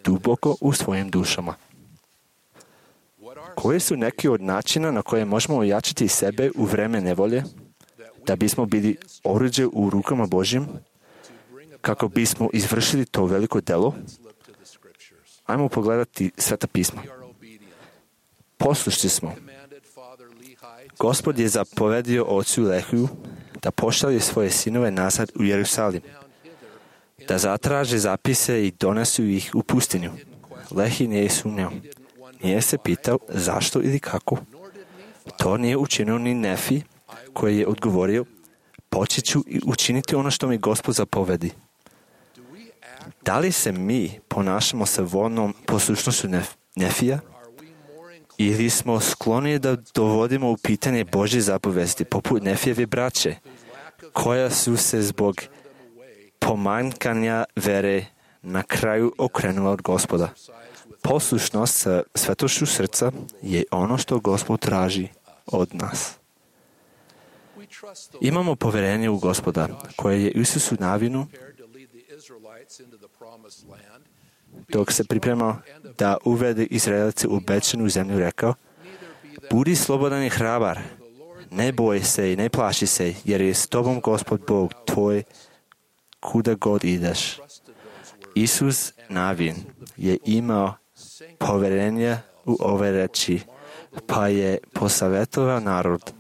duboko u svojim dušama. Koji su neki od načina na koje možemo ojačati sebe u vreme nevolje, da bismo bili oruđe u rukama Božjim, kako bismo izvršili to veliko delo? Ajmo pogledati Sveta pisma. Poslušni smo. Gospod je zapovedio ocu Lehiju da pošalje svoje sinove nazad u Jerusalim, da zatraže zapise i donesu ih u pustinju. Lehi nije sumnjao. Nije se pitao zašto ili kako. To nije učinio ni Nefi, koji je odgovorio: počet ću i učiniti ono što mi Gospod zapovedi. Da li se mi ponašamo sa voljnom poslušnošću Nefija? Ili smo skloni da dovodimo u pitanje Božje zapovesti, poput Nefijeve braće, koja su se zbog pomanjkanja vere na kraju okrenula od Gospoda? Poslušnost sa svetošću srca je ono što Gospod traži od nas. Imamo povjerenje u Gospoda, koje je Isusu Navinu, dok se pripremao da uvede Izraelice u obećanu zemlju, rekao: budi slobodan i hrabar, ne boj se i ne plaši se, jer je s tobom Gospod Bog tvoj kuda god ideš. Isus Navin je imao povjerenje u ove reči, pa je posavjetovao narod: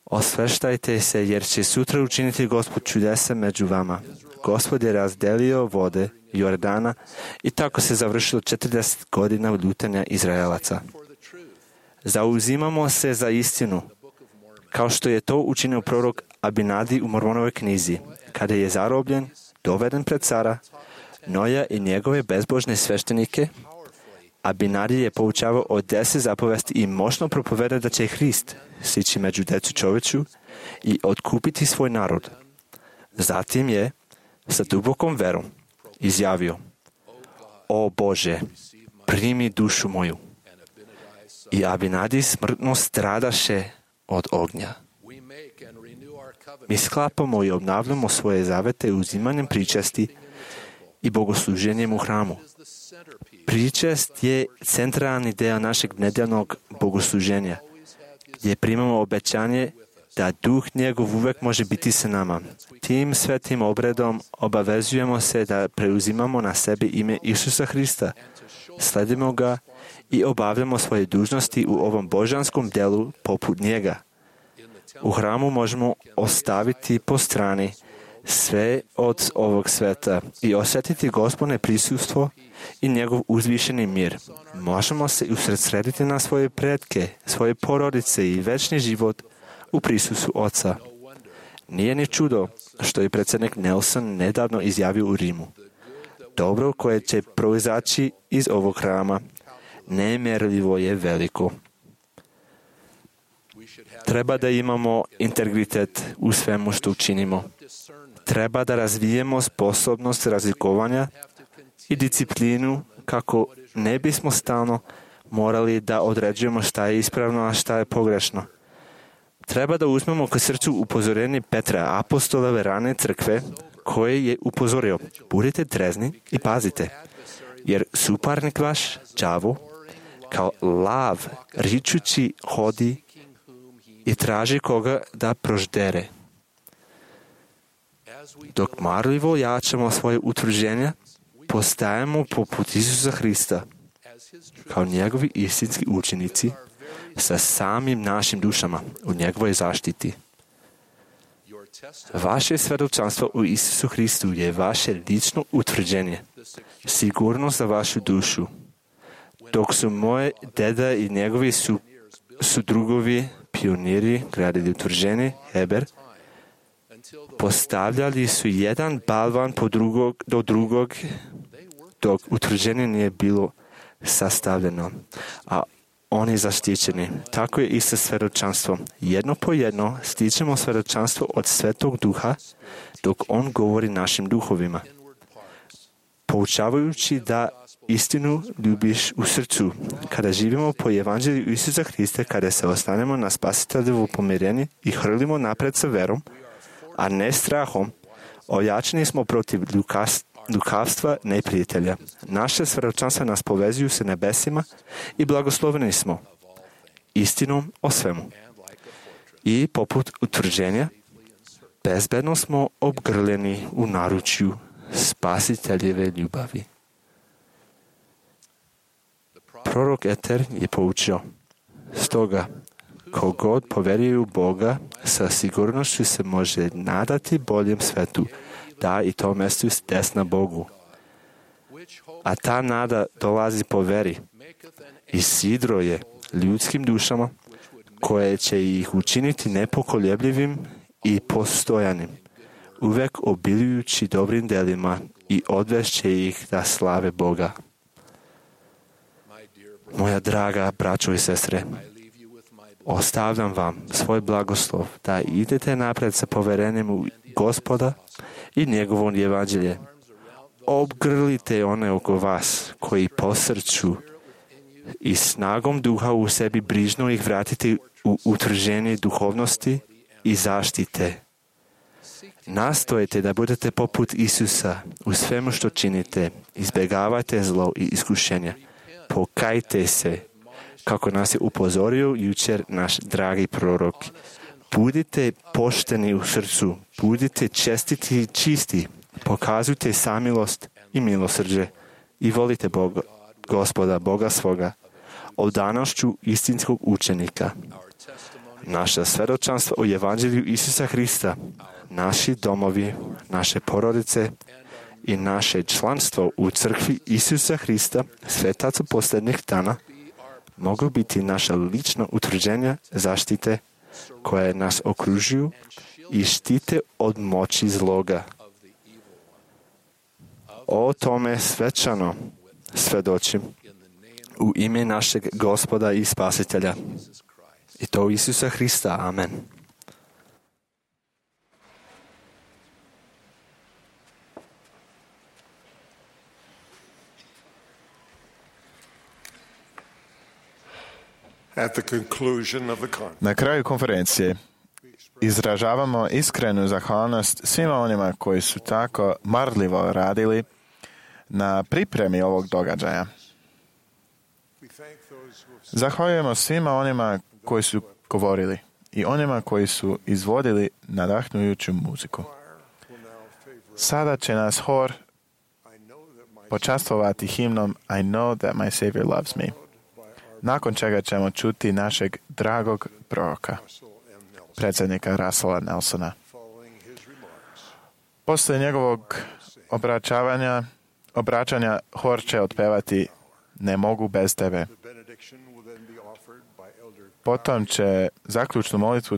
osveštajte se, jer će sutra učiniti Gospod čudesa među vama. Gospod je razdelio vode Jordana i tako se završilo 40 godina lutanja Izraelaca. Zauzimamo se za istinu, kao što je to učinio prorok Abinadi u Mormonovoj knjizi, kada je zarobljen, doveden pred cara Noja i njegove bezbožne sveštenike. Abinadi je poučavao o 10 zapovesti i moćno propoveda da će Hrist sići među decu čovječu i otkupiti svoj narod. Zatim je sa dubokom verom izjavio: o Bože, primi dušu moju. I Abinadi smrtno stradaše od ognja. Mi sklapamo i obnavljamo svoje zavete uzimanjem pričesti i bogosluženjem u hramu. Pričest je centralni deo našeg nedeljnog bogosluženja, gdje primamo obećanje da Duh njegov uvek može biti sa nama. Tim svetim obredom obavezujemo se da preuzimamo na sebe ime Isusa Hrista, sledimo ga i obavljamo svoje dužnosti u ovom božanskom delu poput njega. U hramu možemo ostaviti po strani sve od ovog sveta i osjetiti Gospodne prisustvo i njegov uzvišeni mir. Možemo se usredsrediti na svoje pretke, svoje porodice i večni život u prisustvu Oca. Nije ni čudo što je predsjednik Nelson nedavno izjavio u Rimu: dobro koje će proizaći iz ovog hrama nemjerljivo je veliko. Treba da imamo integritet u svemu što učinimo. Treba da razvijemo sposobnost razlikovanja i disciplinu kako ne bismo stalno morali da određujemo šta je ispravno, a šta je pogrešno. Treba da uzmemo k srcu upozorenje Petra, apostolove rane crkve, koje je upozorio: budite trezni i pazite, jer suparnik vaš, đavo, kao lav ričući hodi i traži koga da proždere. Dok marljivo jačamo svoje utvrđenja, postajemo poput Isusa Hrista, kao njegovi istinski učenici, sa samim našim dušama u njegovoj zaštiti. Vaše svjedočanstvo u Isusu Hristu je vaše lično utvrđenje, sigurnost za vašu dušu. Dok su moje deda i njegovi sudrugovi, pioniri, gradili utvrđenje, Heber, postavljali su jedan balvan do drugog, dok utvrđenje nije bilo sastavljeno, a oni zaštićeni. Tako je isto svjedočanstvo. Jedno po jedno stičemo svjedočanstvo od Svetog Duha, dok on govori našim duhovima, poučavajući da istinu ljubiš u srcu. Kada živimo po evanđelju Isusa Hrista, kada se ostanemo na Spasiteljevu pomirenje i hrlimo napred sa verom, a ne strahom, ojačani smo protiv lukavstva neprijatelja. Naše svjedočanstva nas povezuju sa nebesima i blagosloveni smo istinom o svemu. I poput utvrđenja, bezbedno smo obgrljeni u naručju Spasiteljeve ljubavi. Prorok Eter je poučio: stoga, kogod poveruje u Boga, sa sigurnošću se može nadati boljem svetu, da i to mesto desna Bogu. A ta nada dolazi po veri i sidro je ljudskim dušama, koje će ih učiniti nepokoljebljivim i postojanim, uvek obiljujući dobrim delima i odvešće ih da slave Boga. Moja draga braćo i sestre, ostavljam vam svoj blagoslov da idete napred sa poverenjem u Gospoda i njegovo evanđelje. Obgrlite one oko vas koji posrću i snagom duha u sebi brižno ih vratite u utvrđenje duhovnosti i zaštite. Nastojite da budete poput Isusa u svemu što činite. Izbjegavajte zlo i iskušenja. Pokajte se, kako nas je upozorio jučer naš dragi prorok. Budite pošteni u srcu, budite čestiti i čisti, pokazujte samilost i milosrđe i volite Boga, Gospoda, Boga svoga, odanošću istinskog učenika. Naša svjedočanstva o evanđelju Isusa Hrista, naši domovi, naše porodice i naše članstvo u crkvi Isusa Hrista, svetaca posljednjih dana, mogu biti naša lična utvrđenja zaštite koje nas okružuju i štite od moći zloga. O tome svečano svjedočim u ime našeg Gospoda i Spasitelja. I to Isusa Hrista. Amen. Na kraju konferencije izražavamo iskrenu zahvalnost svima onima koji su tako marljivo radili na pripremi ovog događaja. Zahvaljujemo svima onima koji su govorili i onima koji su izvodili nadahnujuću muziku. Sada će nas hor počastvovati himnom I know that my Savior loves me, nakon čega ćemo čuti našeg dragog proroka, predsjednika Russella Nelsona. Poslije njegovog obraćanja hor će otpevati Ne mogu bez tebe. Potom će zaključnu molitvu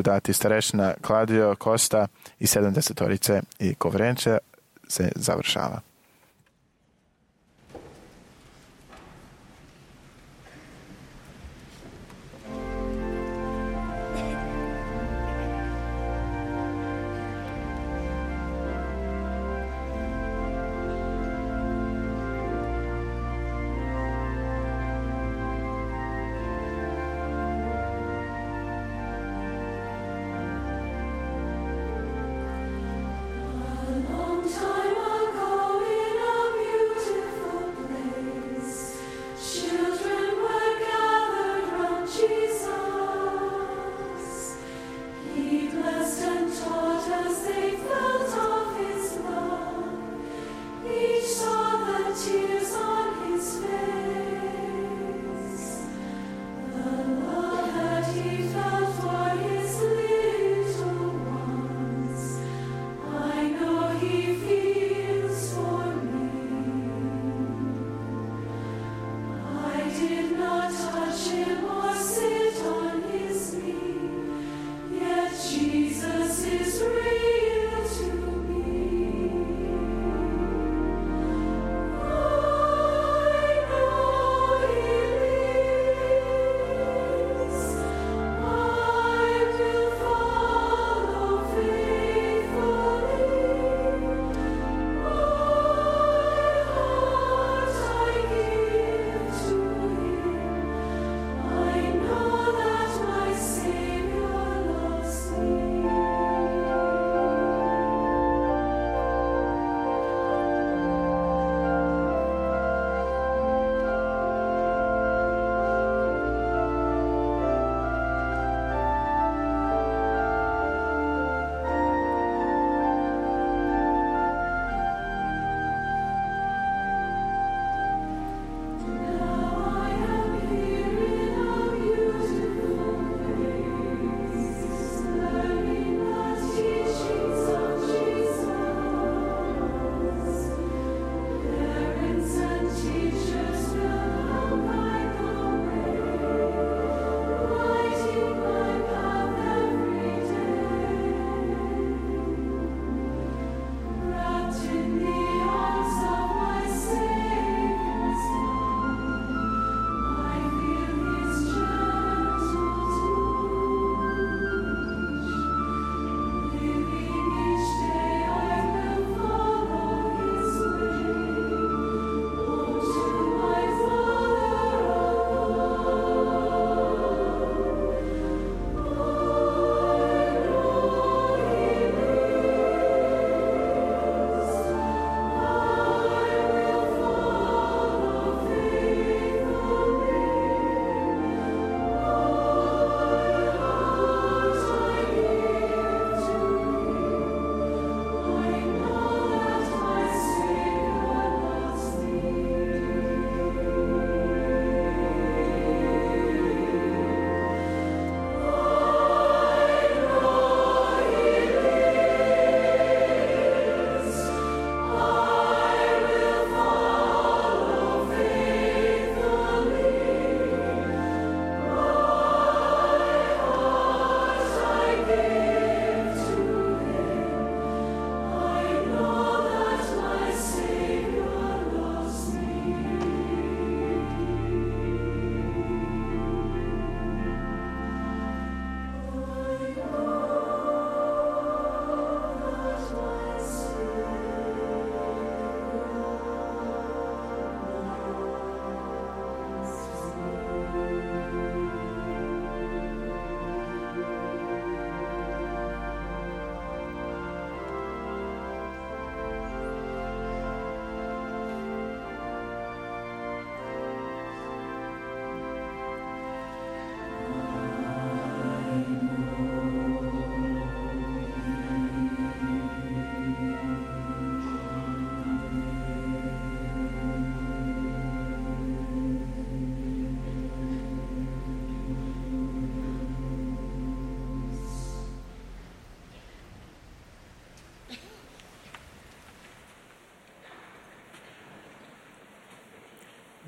dati starešina Claudio Costa i 70-torice i konferencija se završava.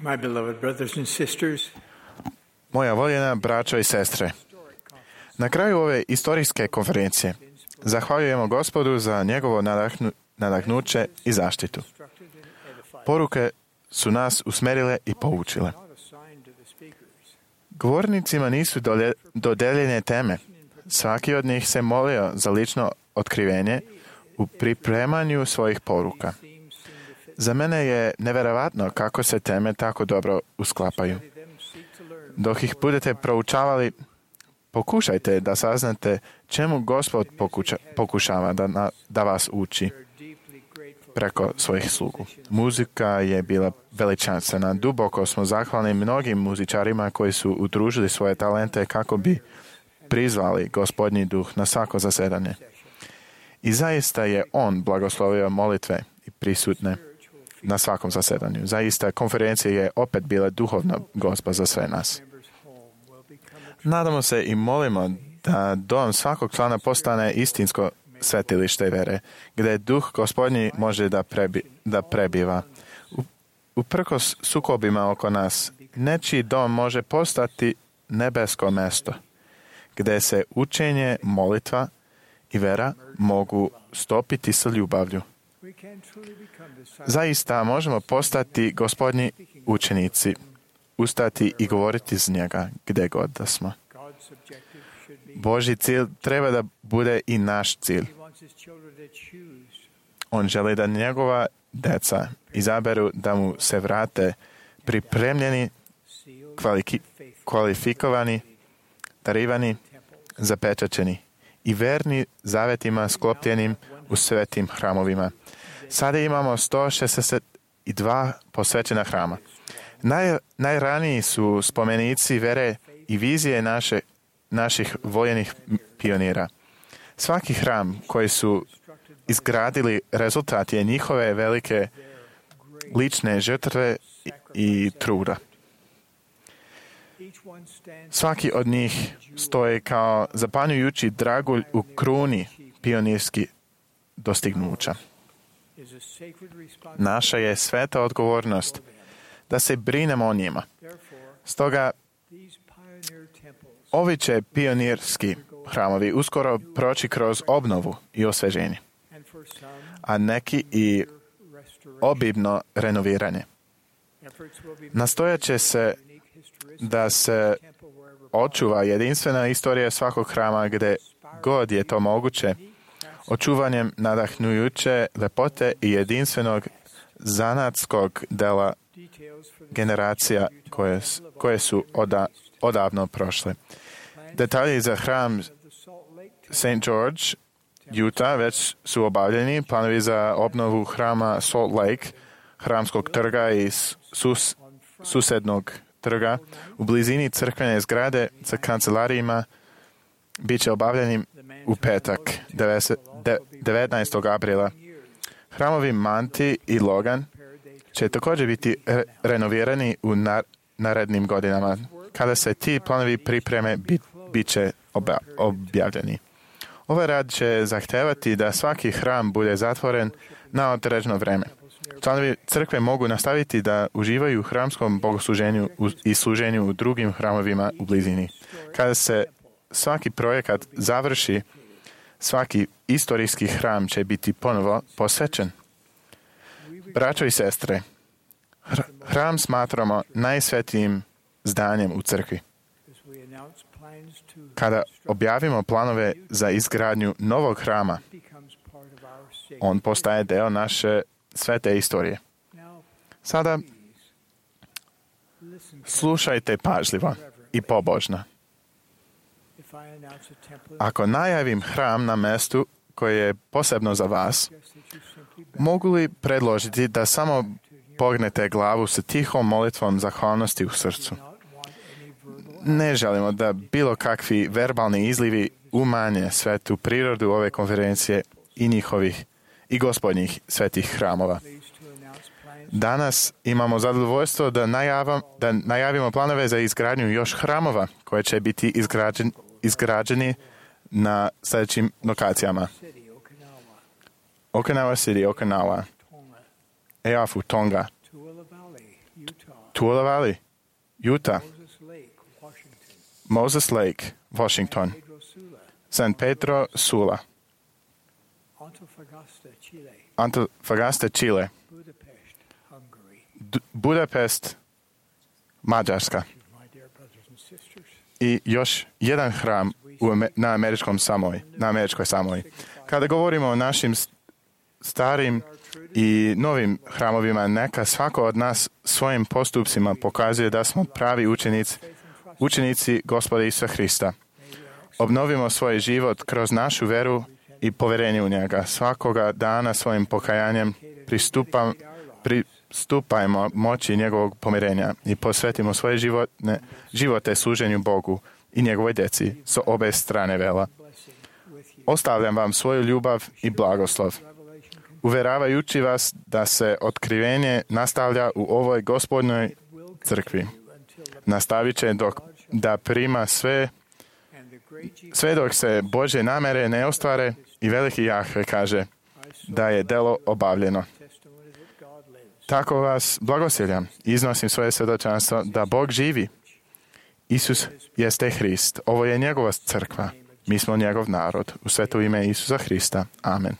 My beloved brothers and sisters, Moja voljena braćo i sestre, na kraju ove istorijske konferencije zahvaljujemo Gospodu za njegovo nadahnuće i zaštitu. Poruke su nas usmerile i poučile. Govornicima nisu dodeljene teme. Svaki od njih se molio za lično otkrivenje u pripremanju svojih poruka. Za mene je neverovatno kako se teme tako dobro usklapaju. Dok ih budete proučavali, pokušajte da saznate čemu Gospod pokušava da vas uči preko svojih slugu. Muzika je bila veličanstvena. Duboko smo zahvalni mnogim muzičarima koji su udružili svoje talente kako bi prizvali Gospodnji duh na svako zasedanje. I zaista je on blagoslovio molitve i prisutne na svakom zasedanju. Zaista konferencija je opet bila duhovna gozba za sve nas. Nadamo se i molimo da dom svakog člana postane istinsko svetilište vere, gdje duh Gospodnji može da prebiva. Uprkos sukobima oko nas, nečiji dom može postati nebesko mesto, gdje se učenje, molitva i vera mogu stopiti sa ljubavlju. Zaista možemo postati Gospodnji učenici, ustati i govoriti z njega gdje god da smo. Božji cilj treba da bude i naš cilj. On želi da njegova deca izaberu da mu se vrate pripremljeni, kvalifikovani, darivani, zapečaćeni i verni zavetima sklopljenim u svetim hramovima. Sada imamo 162 posvećena hrama. Najraniji su spomenici vere i vizije naših voljenih pionira. Svaki hram koji su izgradili rezultat je njihove velike lične žrtve i truda. Svaki od njih stoji kao zapanjujući dragulj u kruni pionirskih dostignuća. Naša je sveta odgovornost da se brinemo o njima. Stoga, ovi će pionirski hramovi uskoro proći kroz obnovu i osveženje, a neki i obimno renoviranje. Nastojat će se da se očuva jedinstvena istorija svakog hrama gdje god je to moguće, očuvanjem nadahnujuće lepote i jedinstvenog zanatskog dela generacija koje su odavno prošle. Detalji za hram St. George, Utah, već su obavljeni. Planovi za obnovu hrama Salt Lake, hramskog trga i susednog trga u blizini crkvene zgrade sa kancelarijima bit će obavljeni u petak, 19. aprila. Hramovi Manti i Logan će također biti renovirani u narednim godinama. Kada se ti planovi pripreme, bit će objavljeni. Ovaj rad će zahtevati da svaki hram bude zatvoren na određeno vreme. Članovi crkve mogu nastaviti da uživaju u hramskom bogosluženju i služenju u drugim hramovima u blizini. Kada se svaki projekat završi, svaki istorijski hram će biti ponovo posvećen. Braćo i sestre, hram smatramo najsvetijim zdanjem u crkvi. Kada objavimo planove za izgradnju novog hrama, on postaje deo naše svete istorije. Sada slušajte pažljivo i pobožno. Ako najavim hram na mestu koje je posebno za vas, mogu li predložiti da samo pognete glavu sa tihom molitvom zahvalnosti u srcu? Ne želimo da bilo kakvi verbalni izlivi umanje svetu prirodu ove konferencije i njihovih i Gospodnjih svetih hramova. Danas imamo zadovoljstvo da najavimo planove za izgradnju još hramova koje će biti izgrađeni na sljedećim lokacijama. Okinawa City, Okinawa, Eafu, Tonga, Tula Valley, Utah, Moses Lake, Washington, San Pedro Sula, Antofagasta, Chile, Budapest, Mađarska i još jedan hram na američkoj Samoji. Kada govorimo o našim starim i novim hramovima, neka svako od nas svojim postupcima pokazuje da smo pravi učenici Gospoda Isusa Hrista. Obnovimo svoj život kroz našu veru i poverenje u njega. Svakoga dana svojim pokajanjem pristupajmo moći njegovog pomirenja i posvetimo svoje živote služenju Bogu i njegovoj djeci s obe strane vela. Ostavljam vam svoju ljubav i blagoslov, uveravajući vas da se otkrivenje nastavlja u ovoj Gospodnjoj crkvi. Nastavit će da prima sve dok se Božje namere ne ostvare i veliki Jahve kaže da je delo obavljeno. Tako vas blagosiljam i iznosim svoje svjedočanstvo da Bog živi. Isus jeste Hrist. Ovo je njegova crkva. Mi smo njegov narod. U sveto ime Isusa Hrista. Amen.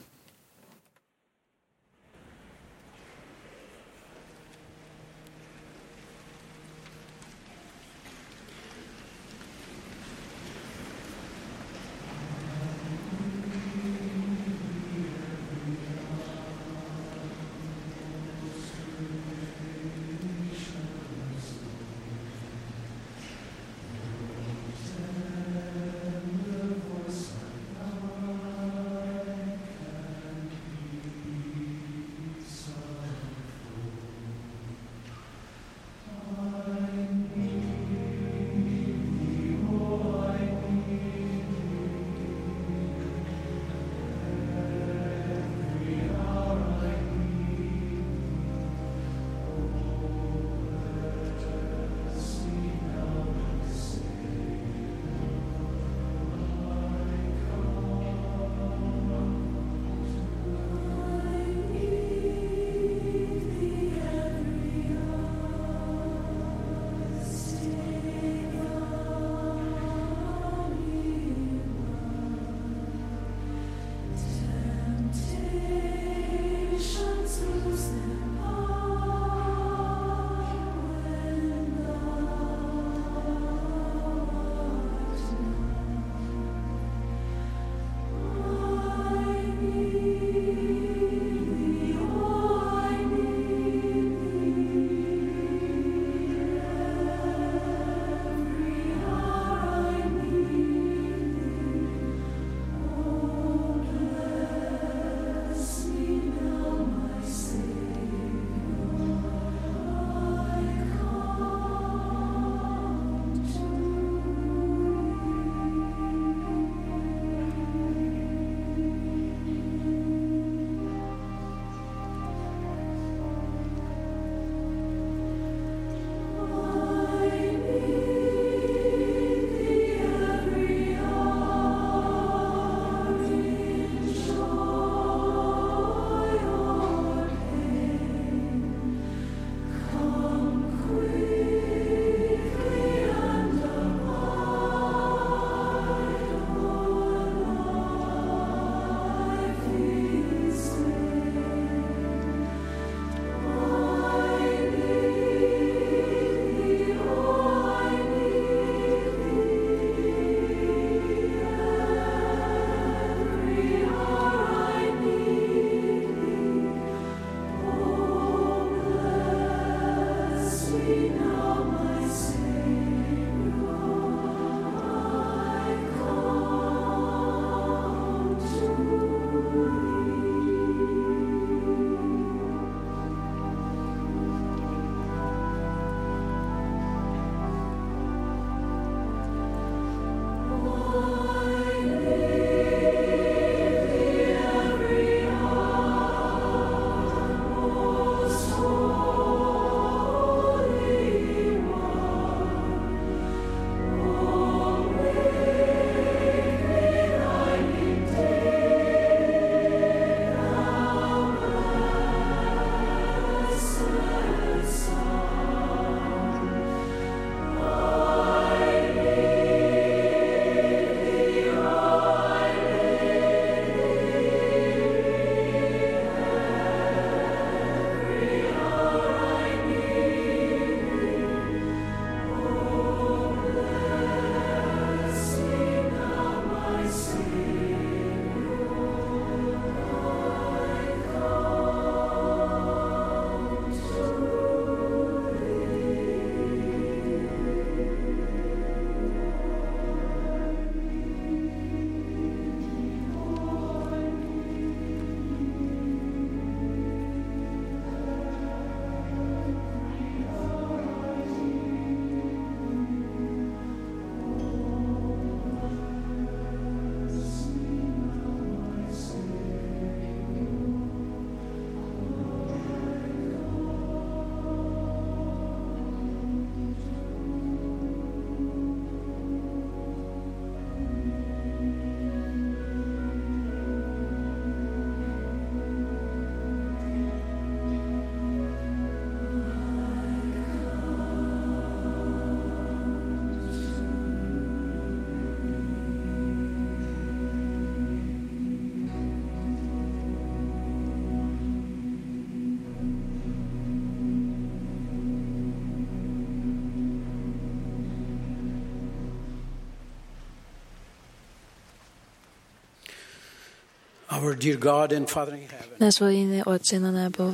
Our dear God and Father in heaven, Náš vojine Otče na nebo,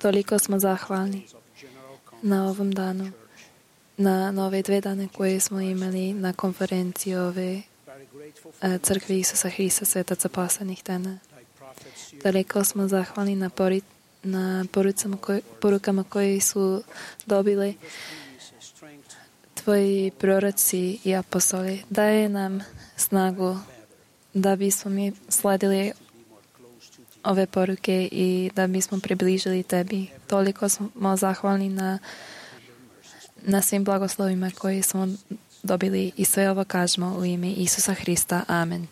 toliko smo zahvalni na ovom danu, na ove 2 dane koje smo imali na konferenciji ove crkve Isusa Hrista svetaca poslanih dana. Toliko smo zahvalni na porukama koje su dobile Tvoji proroci i apostoli. Daje nam snagu da bismo mi sledili ove poruke i da bismo približili Tebi. Toliko smo zahvalni na svim blagoslovima koje smo dobili i sve ovo kažemo u ime Isusa Hrista. Amen.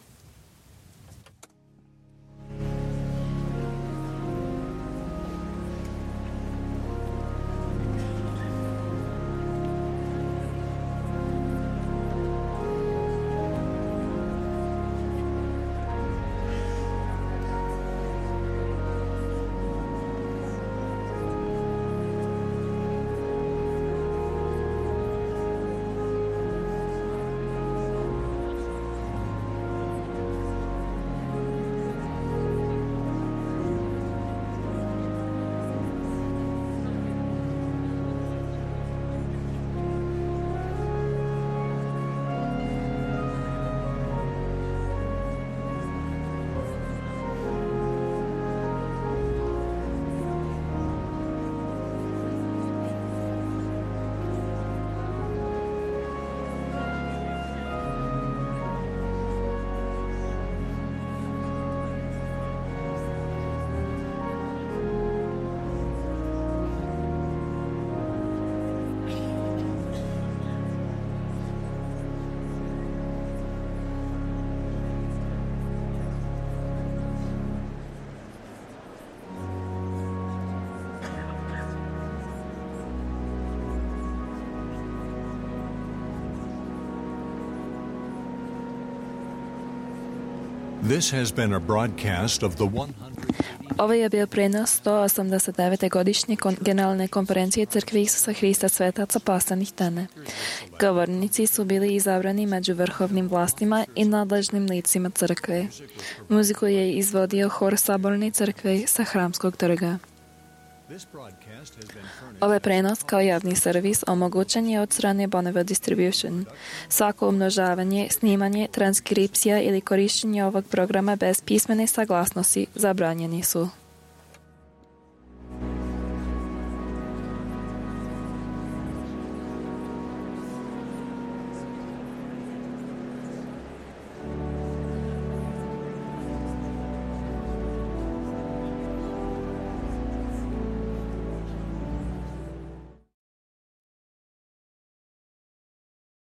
This has been a broadcast of the 100. Ovo je bio prenos 189. godišnje generalne konferencije Crkve Isusa Hrista svetaca poslanih dana. Govornici su bili izabrani među vrhovnim vlastima i nadležnim licima crkve. Muziku je izvodio hor Saborne crkve sa Hramskog trga. Ovaj prenos kao javni servis omogućen je od strane Bonneville Distribution. Svako umnožavanje, snimanje, transkripcija ili korištenje ovog programa bez pismene saglasnosti zabranjeni su.